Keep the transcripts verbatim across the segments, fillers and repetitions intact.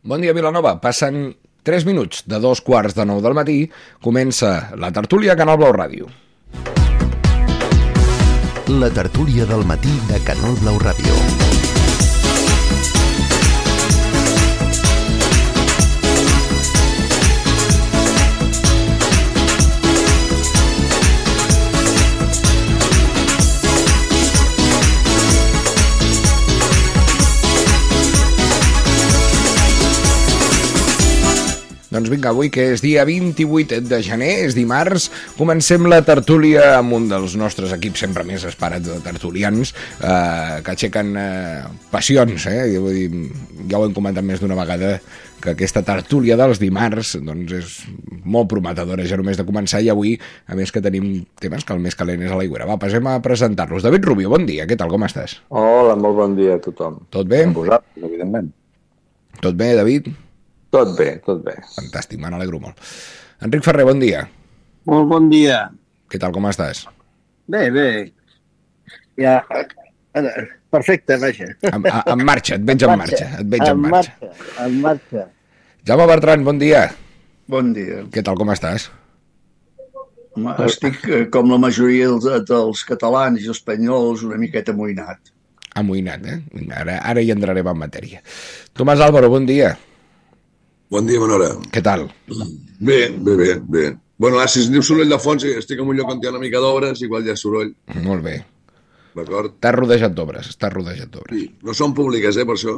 Bon dia, Vilanova. Passen tres minuts de dos quarts de nou del matí. Comença la tertúlia a Canal Blau Ràdio. La tertúlia del matí de Canal Blau Ràdio. Doncs vinga, avui que és dia vint-i-vuit de gener, és dimarts, comencem la tertúlia amb un dels nostres equips sempre més esperats de tertulians, eh, que aixequen eh, passions, eh? Vull dir, ja ho hem comentat més d'una vegada, que aquesta tertúlia dels dimarts doncs és molt prometedora ja només de començar, i avui, a més que tenim temes que el més calent és a l'aigüera. Va, passem a presentar-los. David Rubio, bon dia, què tal, com estàs? Hola, molt bon dia a tothom. Tot bé? A vosaltres, evidentment. Tot bé, David? Tot bé, tot bé. Fantàstic, me n'alegro molt. Enric Ferrer, bon dia. Molt bon dia. Què tal, com estàs? Bé, bé. Ja, perfecte, vaja. En, en marxa, et veig en marxa. Et veig en marxa. En marxa, en marxa. Jaume Bertran, bon dia. Bon dia. Què tal, com estàs? Home, estic eh, com la majoria dels, dels catalans i espanyols una miqueta amoïnat. Amoïnat, eh? Ara, ara hi entrarem en matèria. Tomàs Álvaro, bon dia. Bon dia, Manora. Què tal? Bé, bé, bé, bé. Bueno, ara, si es diu soroll de fons, estic en un lloc on hi ha una mica d'obres, igual hi ha soroll. Molt bé. D'acord? Estàs rodejat d'obres, estàs rodejat d'obres. Sí, no són públiques, eh, per això.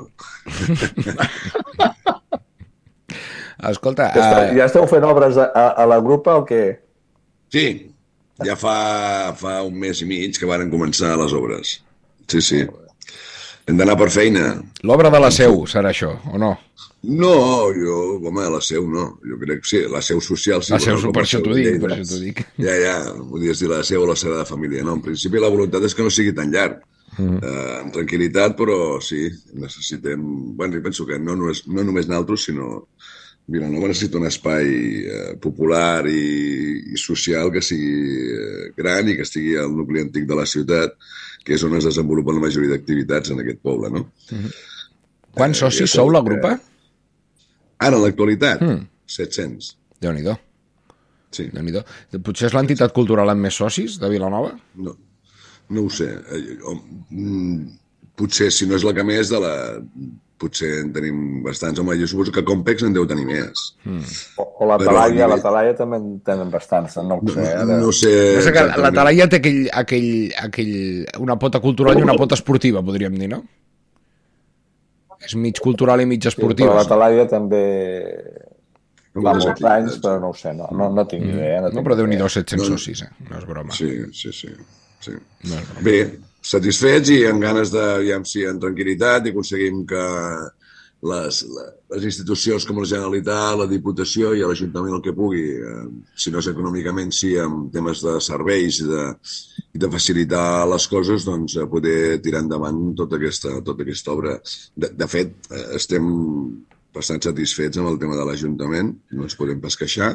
Escolta... Ja, està, Uh... ja esteu fent obres a, a, a la grupa o què? Sí, ja fa, fa un mes i mig que varen començar les obres. Sí, sí. Hem d'anar per feina. L'obra de la Seu serà això, o no? No, jo, home, la Seu no. Jo crec que sí, la Seu social sí. La Seu, bueno, per això t'ho dic, Lleida. per això t'ho dic. Ja, ja, podies dir la Seu o la Sagrada Família. No, en principi la voluntat és que no sigui tan llarg. Mm. Uh, amb tranquil·litat, però sí, necessitem... Bueno, jo penso que no, no, és, no només nosaltres, sinó... Vilanova necessita un espai eh, popular i, i social que sigui eh, gran i que estigui al nucli antic de la ciutat, que és on es desenvolupen la majoria d'activitats en aquest poble, no? Mm-hmm. Quants eh, socis sou la grupa? Ara, en l'actualitat, mm. set-cents. Déu-n'hi-do. Sí. Déu-n'hi-do. Potser és l'entitat cultural amb més socis de Vilanova? No, no ho sé. Potser, si no és la que més, de la... potser en tenim bastants. Home, jo suposo que Compex en deu tenir més. Mm. O, o la Talaia, la Talaia també en tenen bastants, no ho sé. No, no sé no sé que la Talaia té aquell, aquell, aquell, una pota cultural i una pota esportiva, podríem dir, no? És mig cultural i mig esportiva. Sí, però la Talaia també va molts anys, però no ho sé, no, no, no tinc idea. No, no no però déu-n'hi-do set-cents no, socis, eh? No és broma. Sí, sí, sí. sí. No és broma. Bé, satisfets i amb ganes de, ja si en tranquil·litat, i aconseguim que les, les institucions com la Generalitat, la Diputació i l'Ajuntament el que pugui, eh, si no és econòmicament, sí amb temes de serveis i de, i de facilitar les coses, doncs poder tirar endavant tota aquesta, tota aquesta obra. De, de fet, estem bastant satisfets amb el tema de l'Ajuntament, no ens podem pas queixar,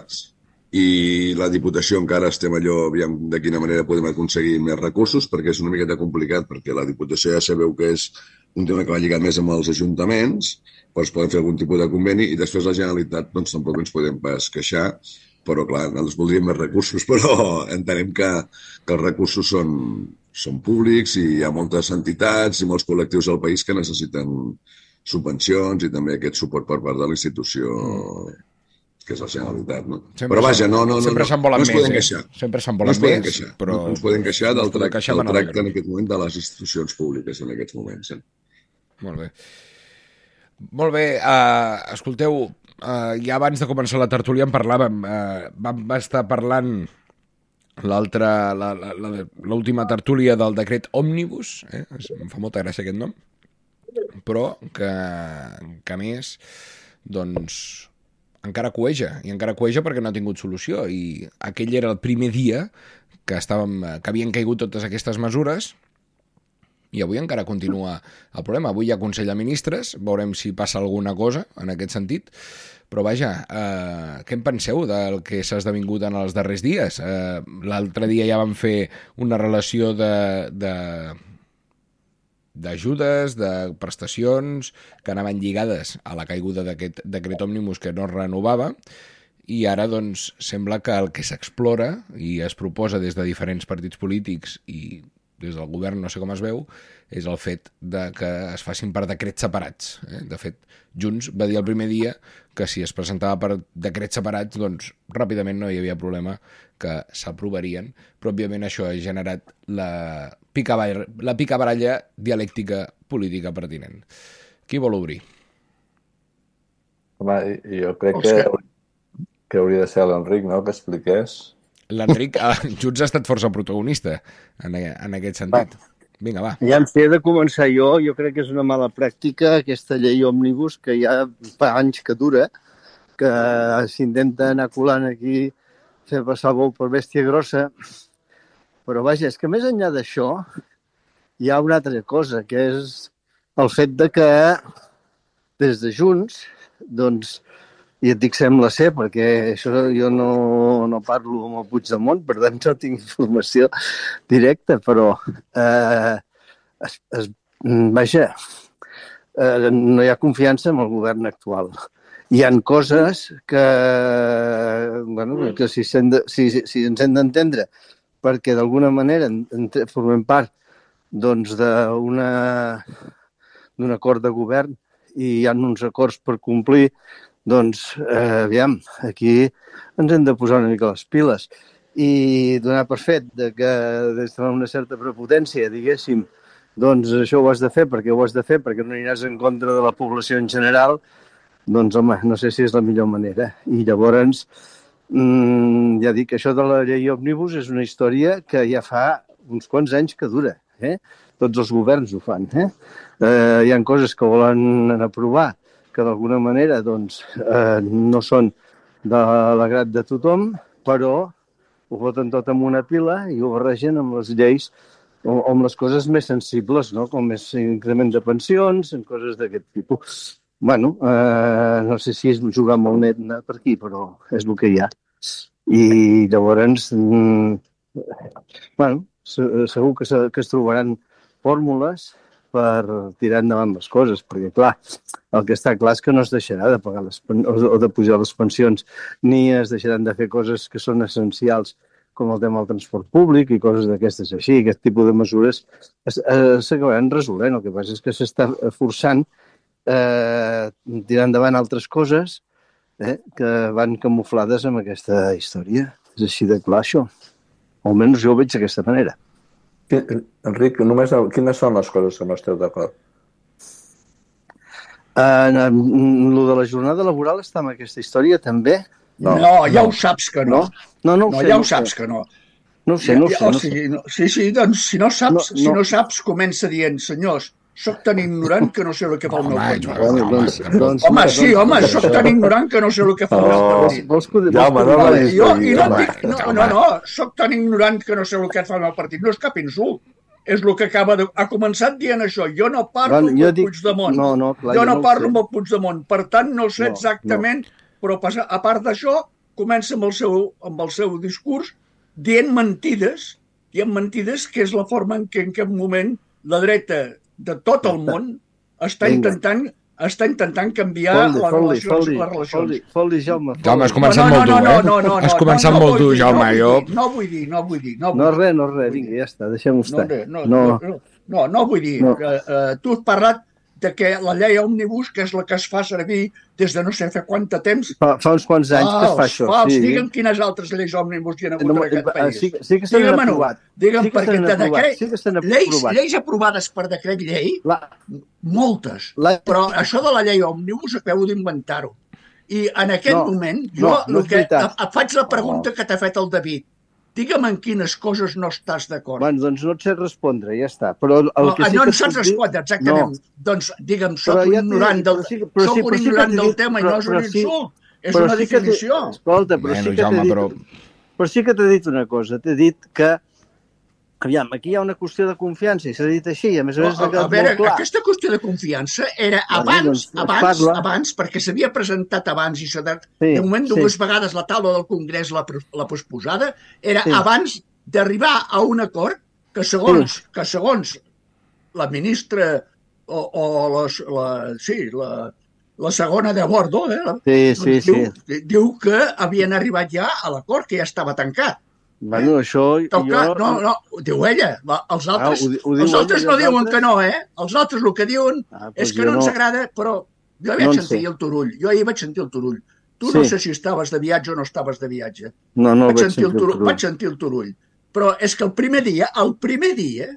i la Diputació encara estem allò, aviam de quina manera podem aconseguir més recursos, perquè és una miqueta complicat, perquè la Diputació ja sabeu que és un tema que va lligat més amb els ajuntaments, doncs poden fer algun tipus de conveni, i després la Generalitat doncs tampoc ens podem pas queixar, però clar, nosaltres voldríem més recursos, però entenem que, que els recursos són, són públics i hi ha moltes entitats i molts col·lectius al país que necessiten subvencions i també aquest suport per part de la institució que és la Generalitat, no? Sempre però vaja, no, no, no, sempre se'n volen no ens més, podem eh? queixar. Sempre se'n No volen ens podem més, queixar, però... no ens podem queixar del, podem trac queixar del per tracte alegre. en aquest moment de les institucions públiques en aquests moments. Eh? Molt bé. Molt bé, uh, escolteu, uh, ja abans de començar la tertúlia en parlàvem, uh, vam estar parlant l'altra, la, la, la, l'última tertúlia del decret Òmnibus, eh? Em fa molta gràcia aquest nom, però que, que a més, doncs, encara cueja, i encara cueja perquè no ha tingut solució, i aquell era el primer dia que, estàvem, que havien caigut totes aquestes mesures, i avui encara continua el problema. Avui hi ha Consell de Ministres, veurem si passa alguna cosa en aquest sentit, però vaja, eh, què en penseu del que s'ha esdevingut en els darrers dies? Eh, l'altre dia ja vam fer una relació de, de, d'ajudes, de prestacions que anaven lligades a la caiguda d'aquest decret òmnibus que no es renovava, i ara doncs sembla que el que s'explora i es proposa des de diferents partits polítics i des del govern, no sé com es veu, és el fet de que es facin per decrets separats. Eh? De fet, Junts va dir el primer dia que si es presentava per decrets separats, doncs ràpidament no hi havia problema, que s'aprovarien, però òbviament això ha generat la picabaralla, la picabaralla dialèctica política pertinent. Qui vol obrir? Home, jo crec que, que hauria de ser l'Enric, no?, que expliqués. L'Enric, Junts ha estat força protagonista en, en aquest sentit. Vinga, va. Ja em sé de començar jo. Jo crec que és una mala pràctica aquesta llei òmnibus que ja fa anys que dura, que s'intenta anar colant aquí, fer passar el bou per bèstia grossa. Però vaja, és que més enllà d'això hi ha una altra cosa, que és el fet de que des de Junts, doncs, i et dic sembla ser, perquè això jo no, no parlo amb el Puigdemont, per tant no tinc informació directa, però eh, es, es, vaja, eh, no hi ha confiança en el govern actual. Hi ha coses que, bueno, que si, de, si, si ens hem d'entendre, perquè d'alguna manera en, en, formem part doncs, d'una, d'un acord de govern i hi ha uns acords per complir. Doncs, eh, aviam, aquí ens hem de posar una mica les piles i donar per fet de que des d'una certa prepotència, diguéssim, doncs això ho has de fer perquè ho has de fer, perquè no aniràs en contra de la població en general, doncs, home, no sé si és la millor manera. I llavors, mmm, ja dic, això de la llei òmnibus és una història que ja fa uns quants anys que dura, eh? Tots els governs ho fan, eh? eh hi ha coses que volen aprovar que d'alguna manera doncs, eh, no són de l'agrat de tothom, però ho foten tot en una pila i ho barregen amb les lleis o amb les coses més sensibles, no? Com és increment de pensions, en coses d'aquest tipus. Bueno, eh, no sé si és jugar molt net per aquí, però és el que hi ha. I llavors, mm, bueno, segur que, se, que es trobaran fórmules per tirar endavant les coses, perquè, clar, el que està clar és que no es deixarà de pagar les, o de pujar les pensions, ni es deixaran de fer coses que són essencials, com el tema del transport públic i coses d'aquestes així. Aquest tipus de mesures s'acabaran resolent. El que passa és que s'està forçant eh, tirar endavant altres coses eh, que van camuflades amb aquesta història. És així de clar, això. O almenys jo ho veig d'aquesta manera. Enric, només, quines són les coses que no esteu d'acord? Uh, lo de la jornada laboral està en aquesta història, també? No, no ja no. Ho saps que no. No, no, no, no sé, ja no ho saps sé. que no. No ho sé, no ho ja, sé. O no sigui, sé. no, sí, sí, doncs si no saps, no, no. si no saps comença dient, senyors, soc tan ignorant que no sé el que fa el meu partit. Home, doncs, doncs, home, sí, home, soc tan ignorant que no sé el que fa el meu partit. Vols que, ja, home, no, no, jo, i no, dic, no, no, no, soc tan ignorant que no sé el que fa el meu partit. No és cap insult. És el que acaba de... Ha començat dient això. Jo no parlo bueno, amb el dic... Puigdemont. No, no, clar, jo no, no parlo no amb el Puigdemont. Per tant, no sé no, exactament, no. Però a part d'això, comença amb el, seu, amb el seu discurs dient mentides, dient mentides, que és la forma en què en aquest moment la dreta de tot el món està intentant... està intentant canviar foldi, les foldi, relacions. Foldi, les relacions. Foldi, foldi, Jaume. Foldi. Jaume, has començat molt dur, eh? No, no, no, has començat no, no, molt dur, dir, Jaume. No, jo... no vull dir, no vull dir. No, vull no dir. res, no res, vinga, ja està, deixem-ho estar. No, no, no, no, no, no vull dir. No. Uh, uh, tu has parlat de que la llei òmnibus, que és la que es fa servir des de no sé fa quant temps... Fa, fa uns quants anys ah, que es fa això. Fals, sí. Digue'm quines altres lleis òmnibus hi ha hagut no, en aquest país. Sí, sí que s'han aprovat. Digue'm, sí que perquè de decret... Sí que s'han lleis, aprovat. Lleis aprovades per decret llei, la... moltes. La... Però això de la llei òmnibus acabo d'inventar-ho. I en aquest no, moment, jo no, no que, et faig la pregunta no. que t'ha fet el David. Digue'm en quines coses no estàs d'acord. Bueno, doncs no et sé respondre, ja està. Però el no, que sí no que en saps respondre, exactament. No. Doncs digue'm, soc un ja ignorant del, sí, soc sí, un ignorant sí del dit, tema però, i no és un insult. Sí, és una sí definició. Escolta, però bueno, sí que Jaume, t'he dit, però... però sí que t'he dit una cosa. T'he dit que aviam, aquí hi ha una qüestió de confiança i s'ha dit així, a més a més a, a veure, aquesta qüestió de confiança era abans, doncs, abans, parla. abans, perquè s'havia presentat abans i s'ha de, sí, de moment dues sí. vegades la taula del Congrés l'ha, l'ha posposada, era sí. abans d'arribar a un acord que segons, sí. que segons la ministra o, o les, la, sí, la, la segona de bordo, eh? Sí, sí, diu, sí. diu que havien arribat ja a l'acord, que ja estava tancat. Bueno, això... Toca, jo... no, no, ho diu ella. Els altres, Ah, ho, ho els altres ella, no diuen altres? que no, eh? Els altres el que diuen ah, és que no, no ens agrada, però jo vaig no sentir sé. el Turull. Jo ahir vaig sentir el Turull. Tu Sí. no sé si estaves de viatge o no estaves de viatge. No, no vaig, vaig sentir el sentir el Turull, Turull. vaig sentir el Turull. Però és que el primer dia, el primer dia,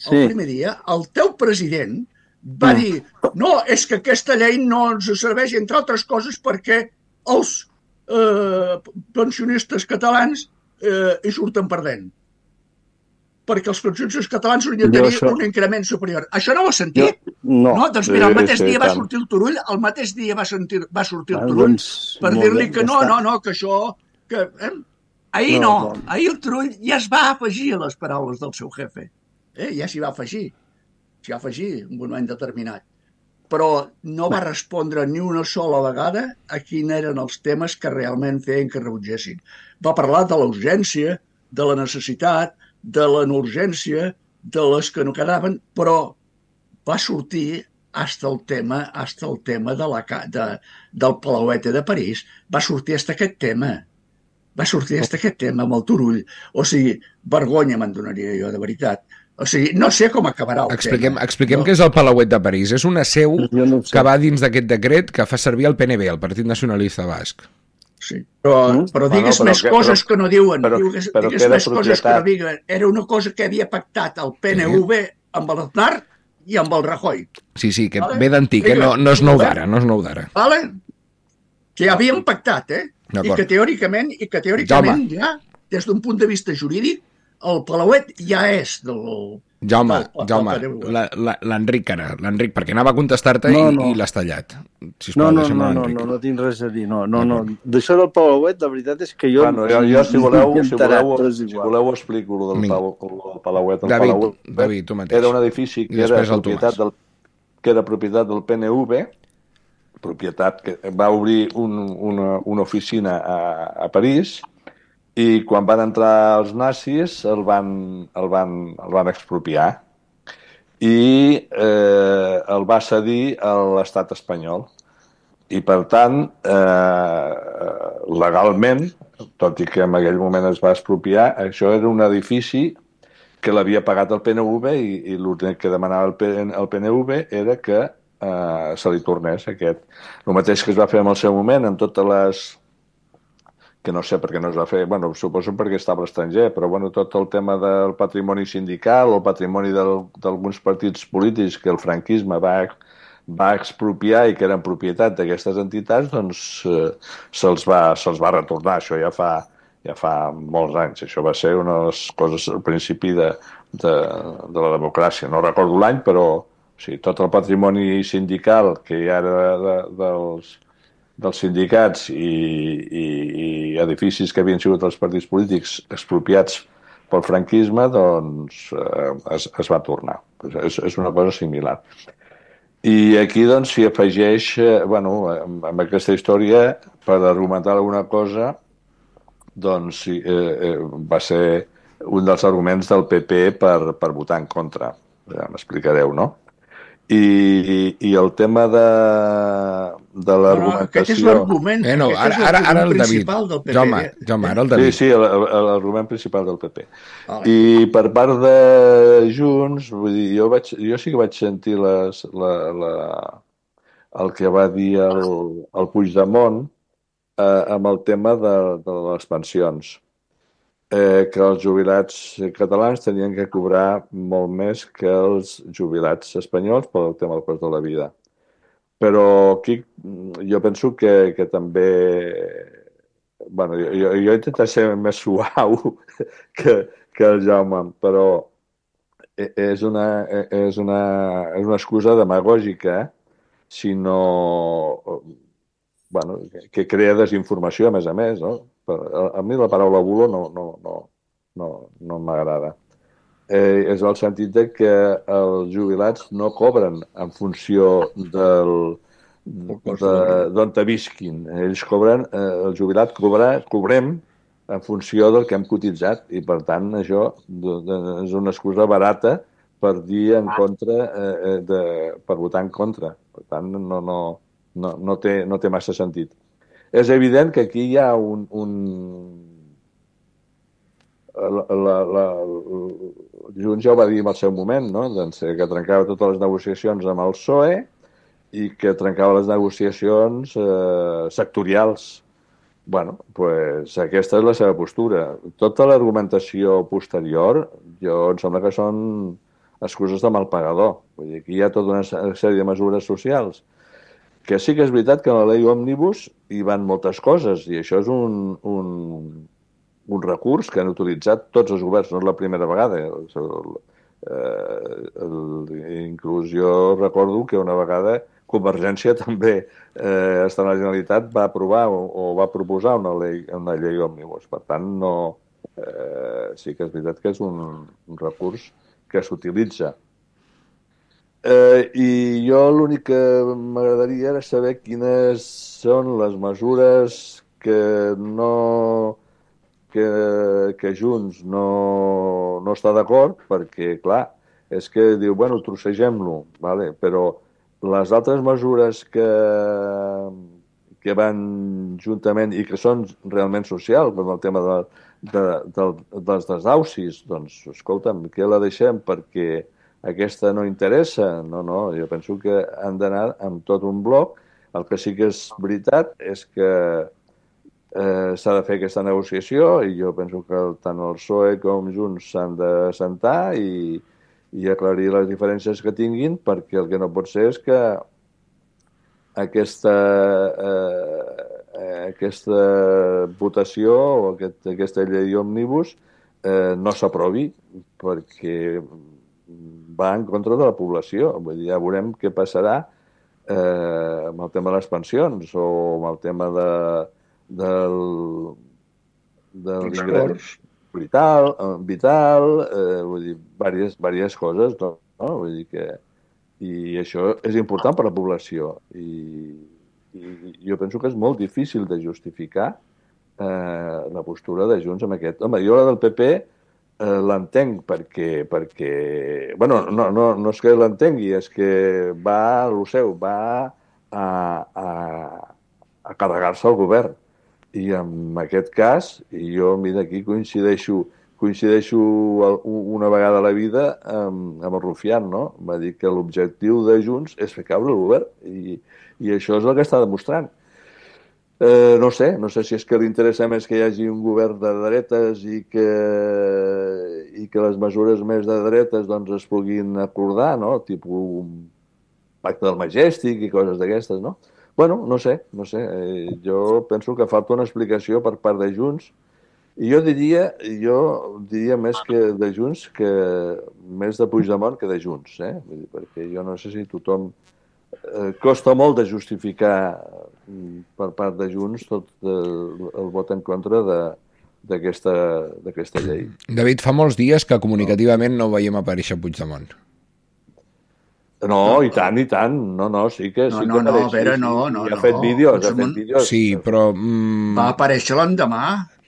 Sí. el primer dia, el teu president va Mm. dir no, és que aquesta llei no ens serveix, entre altres coses, perquè els eh, pensionistes catalans eh, hi surten perdent. Perquè els pensionistes catalans haurien de Jo tenir això- un increment superior. Això no ho has sentit? Jo, no. No, doncs mira, el Sí, mateix sí, dia va tant. sortir el Turull, el mateix dia va, sentir, va sortir el Ah, Turull doncs, per molt dir-li bé, que ja no, està. no, no, que això... Que, eh? Ahir No, no, no. ahir el Turull ja es va afegir a les paraules del seu jefe. Eh? Ja s'hi va afegir, s'hi va afegir en un moment determinat. Però no va respondre ni una sola vegada a quins eren els temes que realment feien que rebutgessin. Va parlar de la urgència, de la necessitat, de la no urgència, de les que no quedaven, però va sortir hasta el tema, hasta el tema de la, ca- de, del Palauete de París, va sortir hasta aquest tema. Va sortir hasta aquest tema amb el Turull. O sigui, vergonya me'n donaria jo, de veritat. O sigui, no sé com acabarà el Expliquem, tema. expliquem no? què és el Palauet de París. És una seu Jo no ho sé. que va dins d'aquest decret que fa servir el P N B, el Partit Nacionalista Basc. Sí. Però, Mm? però Bueno, digues però més que- coses però- que no diuen. però- digues però digues queda més coses que no propietat. diuen. Era una cosa que havia pactat el P N V amb l'Aznar i amb el Rajoy. Sí, sí, que Vale. ve d'antic, eh? no, no és nou d'ara, no és nou d'ara. Vale? Que havien pactat, eh? I D'acord. que teòricament, i que teòricament ja, des d'un punt de vista jurídic, el Palauet ja és del... Jaume, del- del Jaume, P N V. la- la- l'Enric ara, l'Enric, perquè anava a contestar-te No, i, no. i l'has tallat. No, Sisplau, no, deixa'm no, a no, l'Enric. no, no tinc res a dir. No, no, no. D'això del Palauet, la veritat és que jo... Bueno, jo, jo si voleu, m'he si enterat, voleu, però és si igual. voleu ho explico, lo del, Vinga. Palau, el Palauet. El David, Palauet David, tu mateix. era un edifici I que era, després el propietat Tomàs. del, que era propietat del P N V, propietat que va obrir un, una, una oficina a, a París, i quan van entrar els nazis el van, el van, el van expropiar i eh, el va cedir a l'estat espanyol. I, per tant, eh, legalment, tot i que en aquell moment es va expropiar, això era un edifici que l'havia pagat el P N V i, i l'únic que demanava el, P, el P N V era que eh, se li tornés aquest. El mateix que es va fer en el seu moment, amb totes les... que no sé per què no es va fer, bueno, suposo perquè estava a l'estranger, però bueno, tot el tema del patrimoni sindical, el patrimoni d'alguns partits polítics que el franquisme va, va expropiar i que eren propietat d'aquestes entitats, doncs eh, se'ls va, se'ls va retornar. Això ja fa, ja fa molts anys. Això va ser una de les coses al principi de, de, de la democràcia. No recordo l'any, però o sigui, tot el patrimoni sindical que hi ha de, de, dels dels sindicats i, i, i edificis que havien sigut els partits polítics expropiats pel franquisme, doncs eh, es, es va tornar. És, és una cosa similar. I aquí doncs s'hi afegeix, eh, bueno, amb, amb aquesta història, per argumentar alguna cosa, doncs sí, eh, eh, va ser un dels arguments del P P per, per votar en contra. Ja m'explicareu, no? I, i el tema de, de l'argumentació... No, no, aquest és l'argument Eh, no, aquest és ara, ara, ara el David. principal del P P. Jaume, Jaume, ara el Sí, David. sí, el- l'argument principal del P P. Vale. I per part de Junts, vull dir, jo, vaig, jo sí que vaig sentir les, la, la, el que va dir el, el Puigdemont eh, amb el tema de, de les pensions. Eh, que els jubilats catalans tenien que cobrar molt més que els jubilats espanyols pel tema del cost de la vida. Però aquí jo penso que, que també... Bueno, jo, jo, jo he intentat ser més suau que, que el Jaume, però és una, és una, és una excusa demagògica, sinó... Bueno, que crea desinformació, a més a més, no? A, a mi la paraula bulo no, no, no, no, no m'agrada. Eh, és el sentit de que els jubilats no cobren en funció del d'on te visquin. Ells cobren, eh, el jubilat cobra, cobrem en funció del que hem cotitzat i, per tant, això és una excusa barata per dir en contra, eh, de, per votar en contra. Per tant, no, no, no, no, té, no té massa sentit. És evident que aquí hi ha un... un la, la, la, Junts ja ho va dir en el seu moment, no? Doncs, que trencava totes les negociacions amb el P S O E i que trencava les negociacions eh, sectorials. Bueno, pues aquesta és la seva postura. Tota l'argumentació posterior, jo em sembla que són excuses de mal pagador. Vull dir, aquí hi ha tota una sèrie de mesures socials que sí que és veritat que en la llei òmnibus hi van moltes coses i això és un, un, un recurs que han utilitzat tots els governs, no és la primera vegada. El, eh, el, inclús jo recordo que una vegada Convergència també, eh, estant a la Generalitat, va aprovar o, o va proposar una llei, una llei òmnibus. Per tant, no, eh, sí que és veritat que és un, un recurs que s'utilitza. Eh, I jo l'únic que m'agradaria era saber quines són les mesures que no que, que Junts no, no està d'acord, perquè, clar, és que diu, bueno, trossegem-lo, vale? Però les altres mesures que, que van juntament i que són realment socials, com el tema de, de, de, dels desaucis, doncs, escolta'm, què la deixem perquè aquesta no interessa? No, no, jo penso que han d'anar amb tot un bloc. El que sí que és veritat és que eh, s'ha de fer aquesta negociació i jo penso que tant el P S O E com Junts s'han de sentar i i aclarir les diferències que tinguin, perquè el que no pot ser és que aquesta, eh, aquesta votació o aquest, aquesta llei òmnibus eh, no s'aprovi, perquè va en contra de la població. Vull dir, ja veurem què passarà eh, amb el tema de les pensions o amb el tema de, del, del ingrés vital, vital eh, vull dir, diverses, diverses coses, no? no? Vull dir que... I això és important per a la població. I, i jo penso que és molt difícil de justificar eh, la postura de Junts amb aquest. Home, jo la del P P eh, l'entenc perquè... perquè bueno, no, no, no és que l'entengui, és que va a lo seu, va a, a, a carregar-se el govern. I en aquest cas, i jo mira, aquí coincideixo, coincideixo una vegada a la vida amb, amb el Rufián, no? Va dir que l'objectiu de Junts és fer caure el govern i, i això és el que està demostrant. Eh, no sé, no sé si és que li interessa més que hi hagi un govern de dretes i que, i que les mesures més de dretes doncs, es puguin acordar, no? Tipus un pacte del Majestic i coses d'aquestes, no? Bueno, no sé, no sé. Eh, jo penso que falta una explicació per part de Junts i jo diria, jo diria més que de Junts que més de Puigdemont que de Junts, eh? Vull dir, perquè jo no sé si tothom eh, costa molt de justificar per part de Junts tot el, el vot en contra de d'aquesta llei. David, fa molts dies que comunicativament no veiem aparèixer Puigdemont. No, i tant, i tant. No, no, sí que... No, sí no, que no, apareix, a veure, sí, no, sí. no. I ha fet vídeos, ha fet vídeos. Sí, però... Mm... Va aparèixer l'endemà,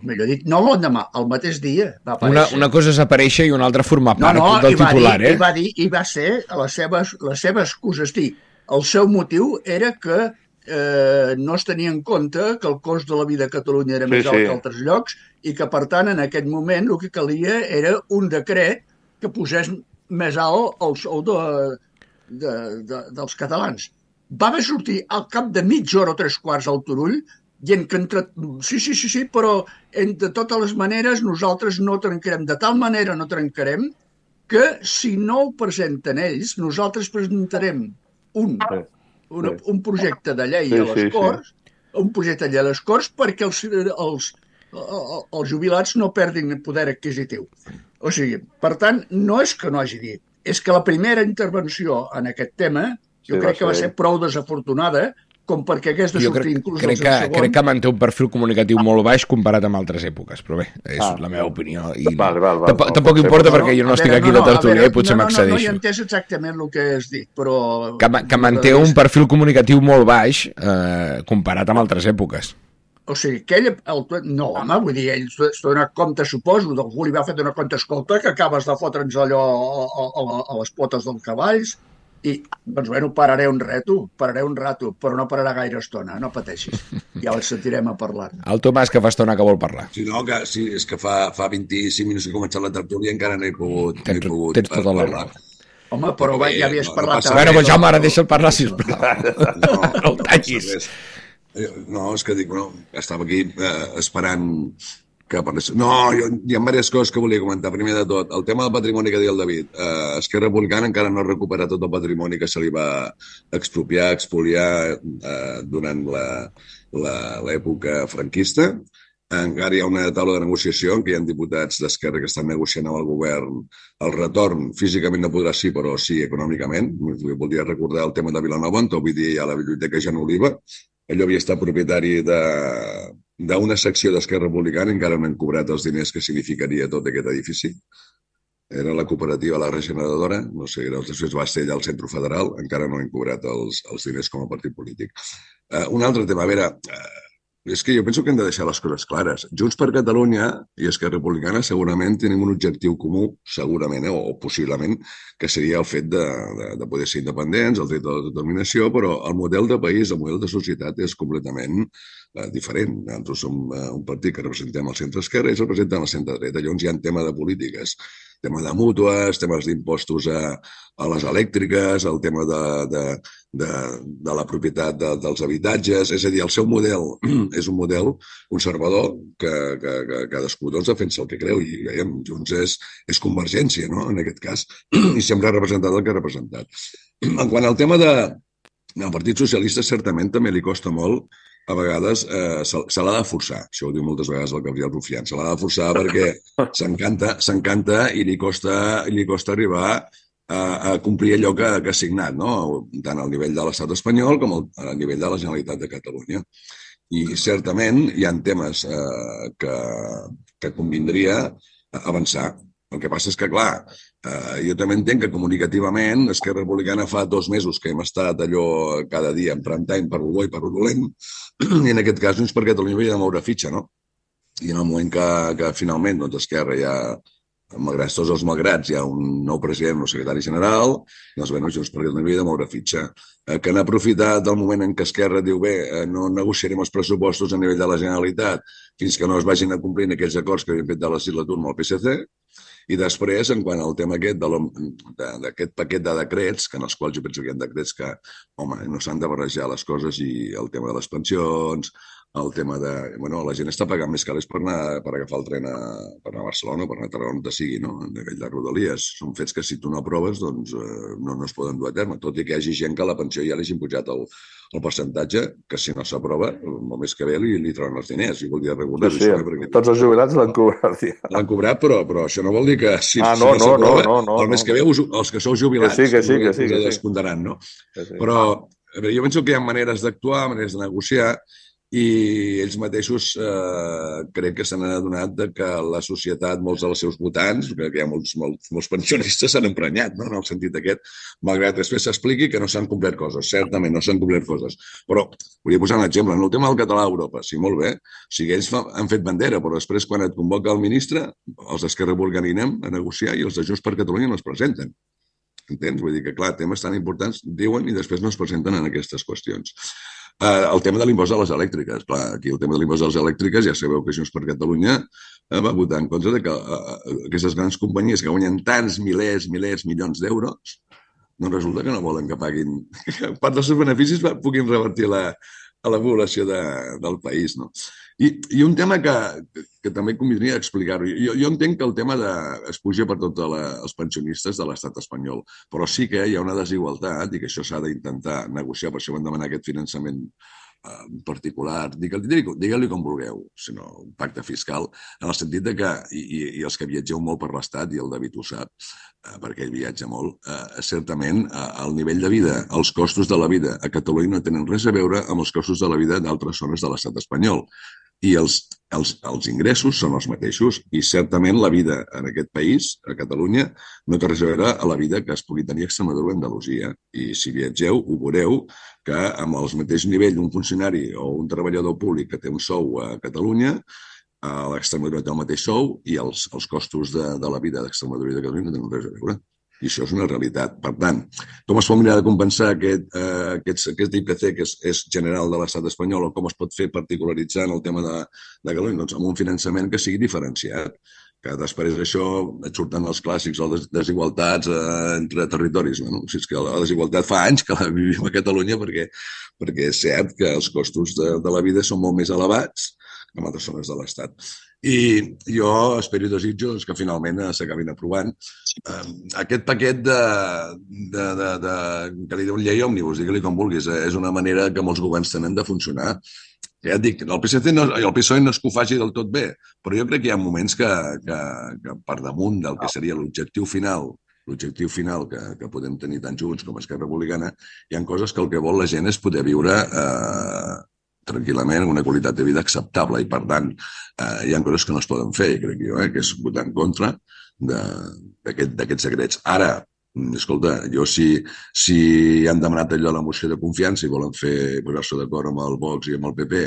millor dit, no l'endemà, el mateix dia va aparèixer. Una, una cosa és aparèixer i una altra formar part no, no, del titular, dir, eh? I va dir, i va ser la seva, la seva excusa. És dir, el seu motiu era que eh, no es tenia en compte que el cost de la vida a Catalunya era sí, més alt sí. que altres llocs i que, per tant, en aquest moment el que calia era un decret que posés més alt el sou de... De, de, dels catalans. Va haver sortir al cap de mitja hora o tres quarts al Turull dient que entre... sí, sí, sí, sí, però de totes les maneres nosaltres no trencarem, de tal manera no trencarem que si no ho presenten ells, nosaltres presentarem un, una, un projecte de llei sí, a les sí, Corts, sí. un projecte de llei a les Corts perquè els, els, els jubilats no perdin poder adquisitiu. O sigui, per tant, no és que no hagi dit, és que la primera intervenció en aquest tema jo sí, crec que va ser prou desafortunada com perquè hagués de jo sortir crec, inclús crec el que, segon. Crec que manté un perfil comunicatiu molt baix comparat amb altres èpoques, però bé, és ah, la meva opinió. I val, val, val, tampoc, tampoc importa no, perquè jo no estic aquí no, de tertúlia i potser no, no, m'accedeixo. No, no, no he entès exactament el que has dit, però... Que, que manté un perfil comunicatiu molt baix eh, comparat amb altres èpoques. O sigui, que ell... El, no, home, vull dir, ell s'ha donat compte, suposo, d'algú li va fer donar compte, escolta, que acabes de fotre'ns allò a, a, a, a les potes dels cavalls, i, doncs, bueno, pararé un rato, pararé un rato, però no pararà gaire estona, no pateixis. Ja el sentirem a parlar. El Tomàs, que fa estona que vol parlar. Sí, no, que, sí, és que fa, fa vint-i-cinc minuts que he començat la tertúlia i encara no he pogut, no he Tens, pogut tens tota la raó. Home, però va, ja havies no, no parlat... passa Bueno, res. doncs Jaume, ara deixa'l parlar, sisplau. No, No el tallis. passa res. Eh, No, és que dic, no, estava aquí eh, esperant que parlés. No, jo, hi ha diverses coses que volia comentar. Primer de tot, el tema del patrimoni que deia el David. Eh, Esquerra Republicana encara no ha recuperat tot el patrimoni que se li va expropiar, expoliar eh, durant la- la- l'època franquista. Encara hi ha una taula de negociació en què hi ha diputats d'Esquerra que estan negociant amb el govern el retorn. Físicament no podrà ser, però sí econòmicament. Voldria recordar el tema de Vilanova, on avui dia hi ha la Biblioteca Jan Oliva. Allò havia estat propietari de- d'una secció d'Esquerra Republicana i encara no han cobrat els diners que significaria tot aquest edifici. Era la cooperativa La Regeneradora, no sé, després va ser allà al Centre Federal, encara no han cobrat els, els diners com a partit polític. Uh, un altre tema, a veure, uh, és que jo penso que hem de deixar les coses clares. Junts per Catalunya i Esquerra Republicana segurament tenim un objectiu comú, segurament, eh, o possiblement, que seria el fet de, de, de poder ser independents, el dret de la determinació, però el model de país, el model de societat és completament eh, diferent. Nosaltres som eh, un partit que representem el centre-esquerra i ells representen el centre-dreta. Llavors hi ha un tema de polítiques, tema de mútues, temes d'impostos a, a les elèctriques, el tema de, de, de, de la propietat de, dels habitatges. És a dir, el seu model és un model conservador que, que, que cadascú doncs, defensa el que creu i veiem, Junts és, és convergència, no?, en aquest cas, i sempre ha representat el que ha representat. En quant al tema de, del Partit Socialista, certament també li costa molt a vegades eh, se, se l'ha de forçar. Això ho diu moltes vegades el Gabriel Rufián. Se l'ha de forçar perquè s'encanta s'encanta i li costa, li costa arribar a, a complir allò que, que ha signat, no? Tant al nivell de l'estat espanyol com al, al nivell de la Generalitat de Catalunya. I certament hi ha temes eh, que, que convindria avançar. El que passa és que, clar, eh, jo també entenc que comunicativament Esquerra Republicana fa dos mesos que hem estat allò cada dia en prime time per lo bo i per lo dolent, i en aquest cas Junts per Catalunya havia de moure fitxa, no? I en el moment que, que finalment doncs, Esquerra ja, malgrat tots els malgrats, hi ha un nou president o secretari general, doncs bé, Junts per Catalunya havia de moure fitxa. Eh, que han aprofitat el moment en què Esquerra diu bé, eh, no negociarem els pressupostos a nivell de la Generalitat fins que no es vagin a complir aquells acords que havien fet de la legislatura amb el P S C. I després, en quant al tema aquest d'aquest paquet de decrets, que en els quals jo penso que hi ha decrets que, home, no s'han de barrejar les coses, i el tema de les pensions, el tema de... Bueno, la gent està pagant més calés per anar per agafar el tren a, per anar a Barcelona, per anar a Tarragona, on sigui, no? En aquell de Rodalies. Són fets que si tu no aproves, doncs eh, no, no es poden dur a terme, tot i que hi hagi gent que a la pensió ja li hagin pujat el, el percentatge, que si no s'aprova, el mes que ve li, li trauran els diners. I voldria recordar-ho. Sí, sí, perquè... tots els jubilats l'han cobrat. Ja. L'han cobrat, però, però això no vol dir que si, ah, si no, no, no s'aprova, no, no, no, el mes que ve us, els que sou jubilats que sí, que sí, que sí, que sí. descomptaran, no? Que sí. Però a veure, jo penso que hi ha maneres d'actuar, maneres de negociar, i ells mateixos eh, crec que s'han adonat de que la societat, molts dels seus votants, que hi ha molts, molts, molts pensionistes, s'han emprenyat, no?, en el sentit aquest, malgrat després s'expliqui que no s'han complert coses. Certament no s'han complert coses. Però volia posar un exemple. En el tema del català a Europa, sí, molt bé. O sigui, ells fa, han fet bandera, però després quan et convoca el ministre, els d'Esquerra Republicana anem a negociar i els de Junts per Catalunya no es presenten. Entens? Vull dir que, clar, temes tan importants diuen i després no es presenten en aquestes qüestions. Uh, el tema de l'impost de les elèctriques. Clar, aquí el tema de l'impost de les elèctriques ja sabeu que Junts per Catalunya uh, va votar en contra de que uh, aquestes grans companyies que guanyen tants milers, milers, milions d'euros, doncs resulta que no volen que paguin que part dels seus beneficis puguin revertir la, a la població de, del país, no? I, i un tema que, que, que també convindria explicar-ho. Jo, jo entenc que el tema de, es puja per tots els pensionistes de l'estat espanyol, però sí que hi ha una desigualtat i que això s'ha d'intentar negociar, per això vam demanar aquest finançament eh, particular, digue-li digue com vulgueu, sinó un pacte fiscal, en el sentit de que, i, i els que viatgeu molt per l'estat, i el David ho sap, eh, perquè ell viatja molt, eh, certament eh, el nivell de vida, els costos de la vida a Catalunya no tenen res a veure amb els costos de la vida d'altres zones de l'estat espanyol. I els els, els ingressos són els mateixos i certament la vida en aquest país, a Catalunya, no té res a veure a la vida que es pugui tenir a Extremadura o Andalusia. I si viatgeu, ho veureu que amb el mateix nivell d'un funcionari o un treballador públic que té un sou a Catalunya, a l'Extremadura té el mateix sou i els, els costos de, de la vida d'Extremadura i de Catalunya no tenen res a veure. I això és una realitat. Per tant, com es pot mirar de compensar aquest, eh, aquest, aquest I P C que és, és general de l'estat espanyol o com es pot fer particularitzar en el tema de, de Catalunya? Doncs amb un finançament que sigui diferenciat, que després d'això et surten els clàssics o les desigualtats eh, entre territoris. Bueno, si és que la desigualtat fa anys que la vivim a Catalunya perquè, perquè és cert que els costos de, de la vida són molt més elevats que en altres zones de l'Estat. I jo espero i desitjo que finalment s'acabin aprovant eh, aquest paquet de, de, de, de, que li diu llei òmnibus, digue-li com vulguis, eh, és una manera que molts governs tenen de funcionar. Ja et dic, el P S C no, el P S O E no és que ho faci del tot bé, però jo crec que hi ha moments que, que, que per damunt del que seria l'objectiu final, l'objectiu final que, que podem tenir tant Junts com Esquerra Republicana, hi ha coses que el que vol la gent és poder viure eh, tranquil·lament, una qualitat de vida acceptable i, per tant, eh, hi ha coses que no es poden fer, crec jo, eh, que és votar en contra d'aquests aquest, secrets. Ara, escolta, jo si, si han demanat allò a la moció de confiança i volen fer posar-se d'acord amb el Vox i amb el P P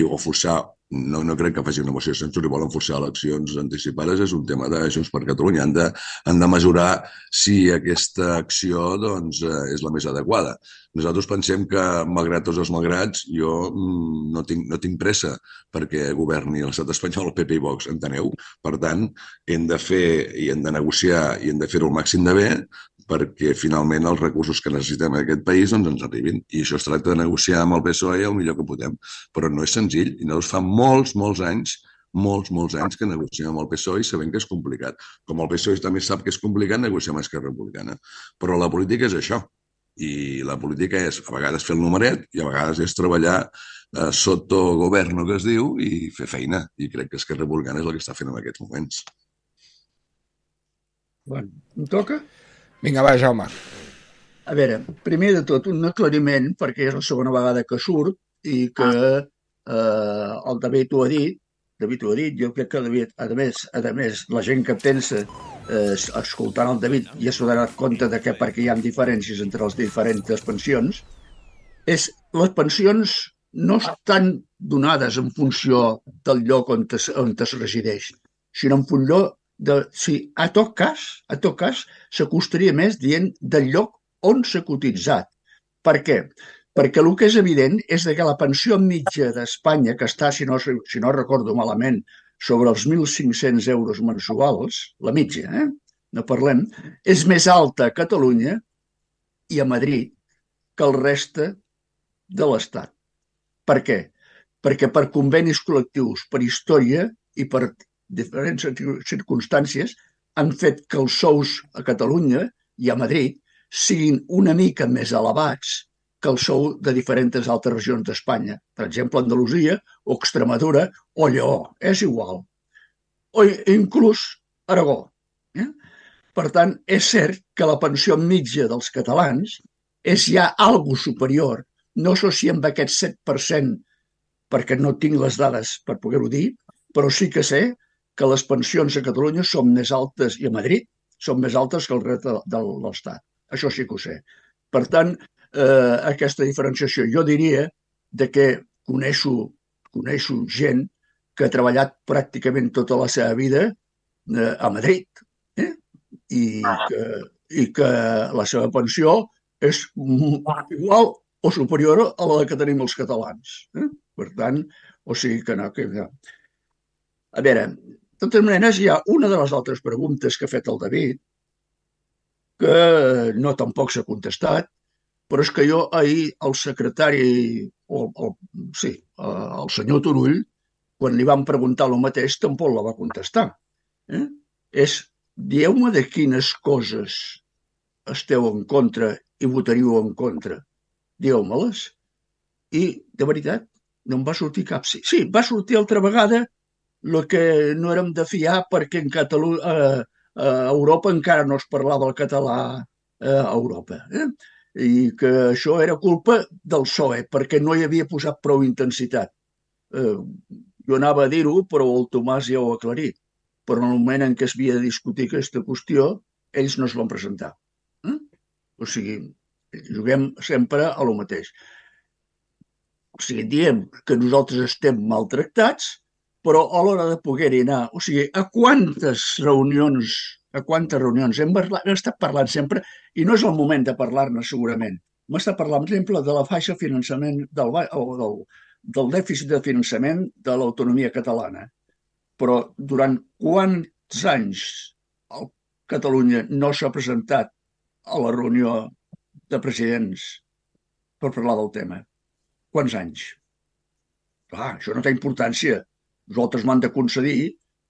i o forçar, no, no crec que faci una moció de censura i volen forçar eleccions anticipades, és un tema de Junts per Catalunya. Han de, han de mesurar si aquesta acció doncs, és la més adequada. Nosaltres pensem que, malgrat tots els malgrats, jo no tinc, no tinc pressa perquè governi l'estat espanyol, el P P i Vox, enteneu? Per tant, hem de fer i hem de negociar i hem de fer-ho el màxim de bé perquè finalment els recursos que necessitem en aquest país doncs, ens arribin. I això es tracta de negociar amb el P S O E el millor que podem. Però no és senzill. I nosaltres fa molts, molts anys, molts, molts anys que negociem amb el P S O E i sabem que és complicat. Com el P S O E també sap que és complicat, negociar amb Esquerra Republicana. Però la política és això. I la política és a vegades fer el numeret i a vegades és treballar eh, sota govern, que es diu, i fer feina. I crec que Esquerra Republicana és el que està fent en aquests moments. Bueno, em toca? Vinga, va, Jaume. A veure, primer de tot, un aclariment, perquè és la segona vegada que surt i que eh, el David ho ha dit, David ho ha dit, jo crec que David, a més, a més la gent que pensa eh, escoltant el David ja s'ha donat compte de que perquè hi ha diferències entre les diferents pensions, és les pensions no estan donades en funció del lloc on es, on es resideix, sinó en funció de si a tot cas, a tot cas, s'acostaria més dient del lloc on s'ha cotitzat. Per què? Perquè el que és evident és que la pensió mitja d'Espanya, que està, si no, si no recordo malament, sobre els mil cinc-cents euros mensuals, la mitja, eh? no parlem, és més alta a Catalunya i a Madrid que el reste de l'Estat. Per què? Perquè per convenis col·lectius, per història i per diferents circumstàncies han fet que els sous a Catalunya i a Madrid siguin una mica més elevats que el sou de diferents altres regions d'Espanya. Per exemple, Andalusia o Extremadura o Lleó, és igual. O inclús Aragó. Eh? Per tant, és cert que la pensió mitja dels catalans és ja algo superior, no so si amb aquest set per cent, perquè no tinc les dades per poder-ho dir, però sí que sé que les pensions a Catalunya són més altes, i a Madrid són més altes que el reste de l'Estat. Això sí que ho sé. Per tant, eh, aquesta diferenciació, jo diria de que coneixo, coneixo gent que ha treballat pràcticament tota la seva vida eh, a Madrid eh? I, que, i que la seva pensió és igual o superior a la que tenim els catalans. Eh? Per tant, o sigui que no... Que, no. A veure, de totes maneres, hi ha una de les altres preguntes que ha fet el David, que no tampoc s'ha contestat, però és que jo ahir el secretari, o, o, sí, el senyor Turull, quan li vam preguntar el mateix, tampoc la va contestar. Eh? És, dieu-me de quines coses esteu en contra i votaríeu en contra. Dieu-me-les. I, de veritat, no em va sortir cap. Sí, sí va sortir altra vegada el que no érem de fiar perquè en Catalunya, eh, a Europa encara no es parlava el català eh, a Europa. Eh? I que això era culpa del P S O E, perquè no hi havia posat prou intensitat. Eh, jo anava a dir-ho, però el Tomàs ja ho ha aclarit. Però en el moment en què es havia de discutir aquesta qüestió, ells no es van presentar. Eh? O sigui, juguem sempre a lo mateix. O sigui, diem que nosaltres estem maltractats, però a l'hora de poder-hi anar, o sigui, a quantes reunions, a quantes reunions hem, parlat, hem estat parlant sempre, i no és el moment de parlar-ne segurament. Hem estat parlant, per exemple, de la faixa finançament, del, del, del dèficit de finançament de l'autonomia catalana. Però durant quants anys Catalunya no s'ha presentat a la reunió de presidents per parlar del tema? Quants anys? Clar, això no té importància. Nosaltres m'han de concedir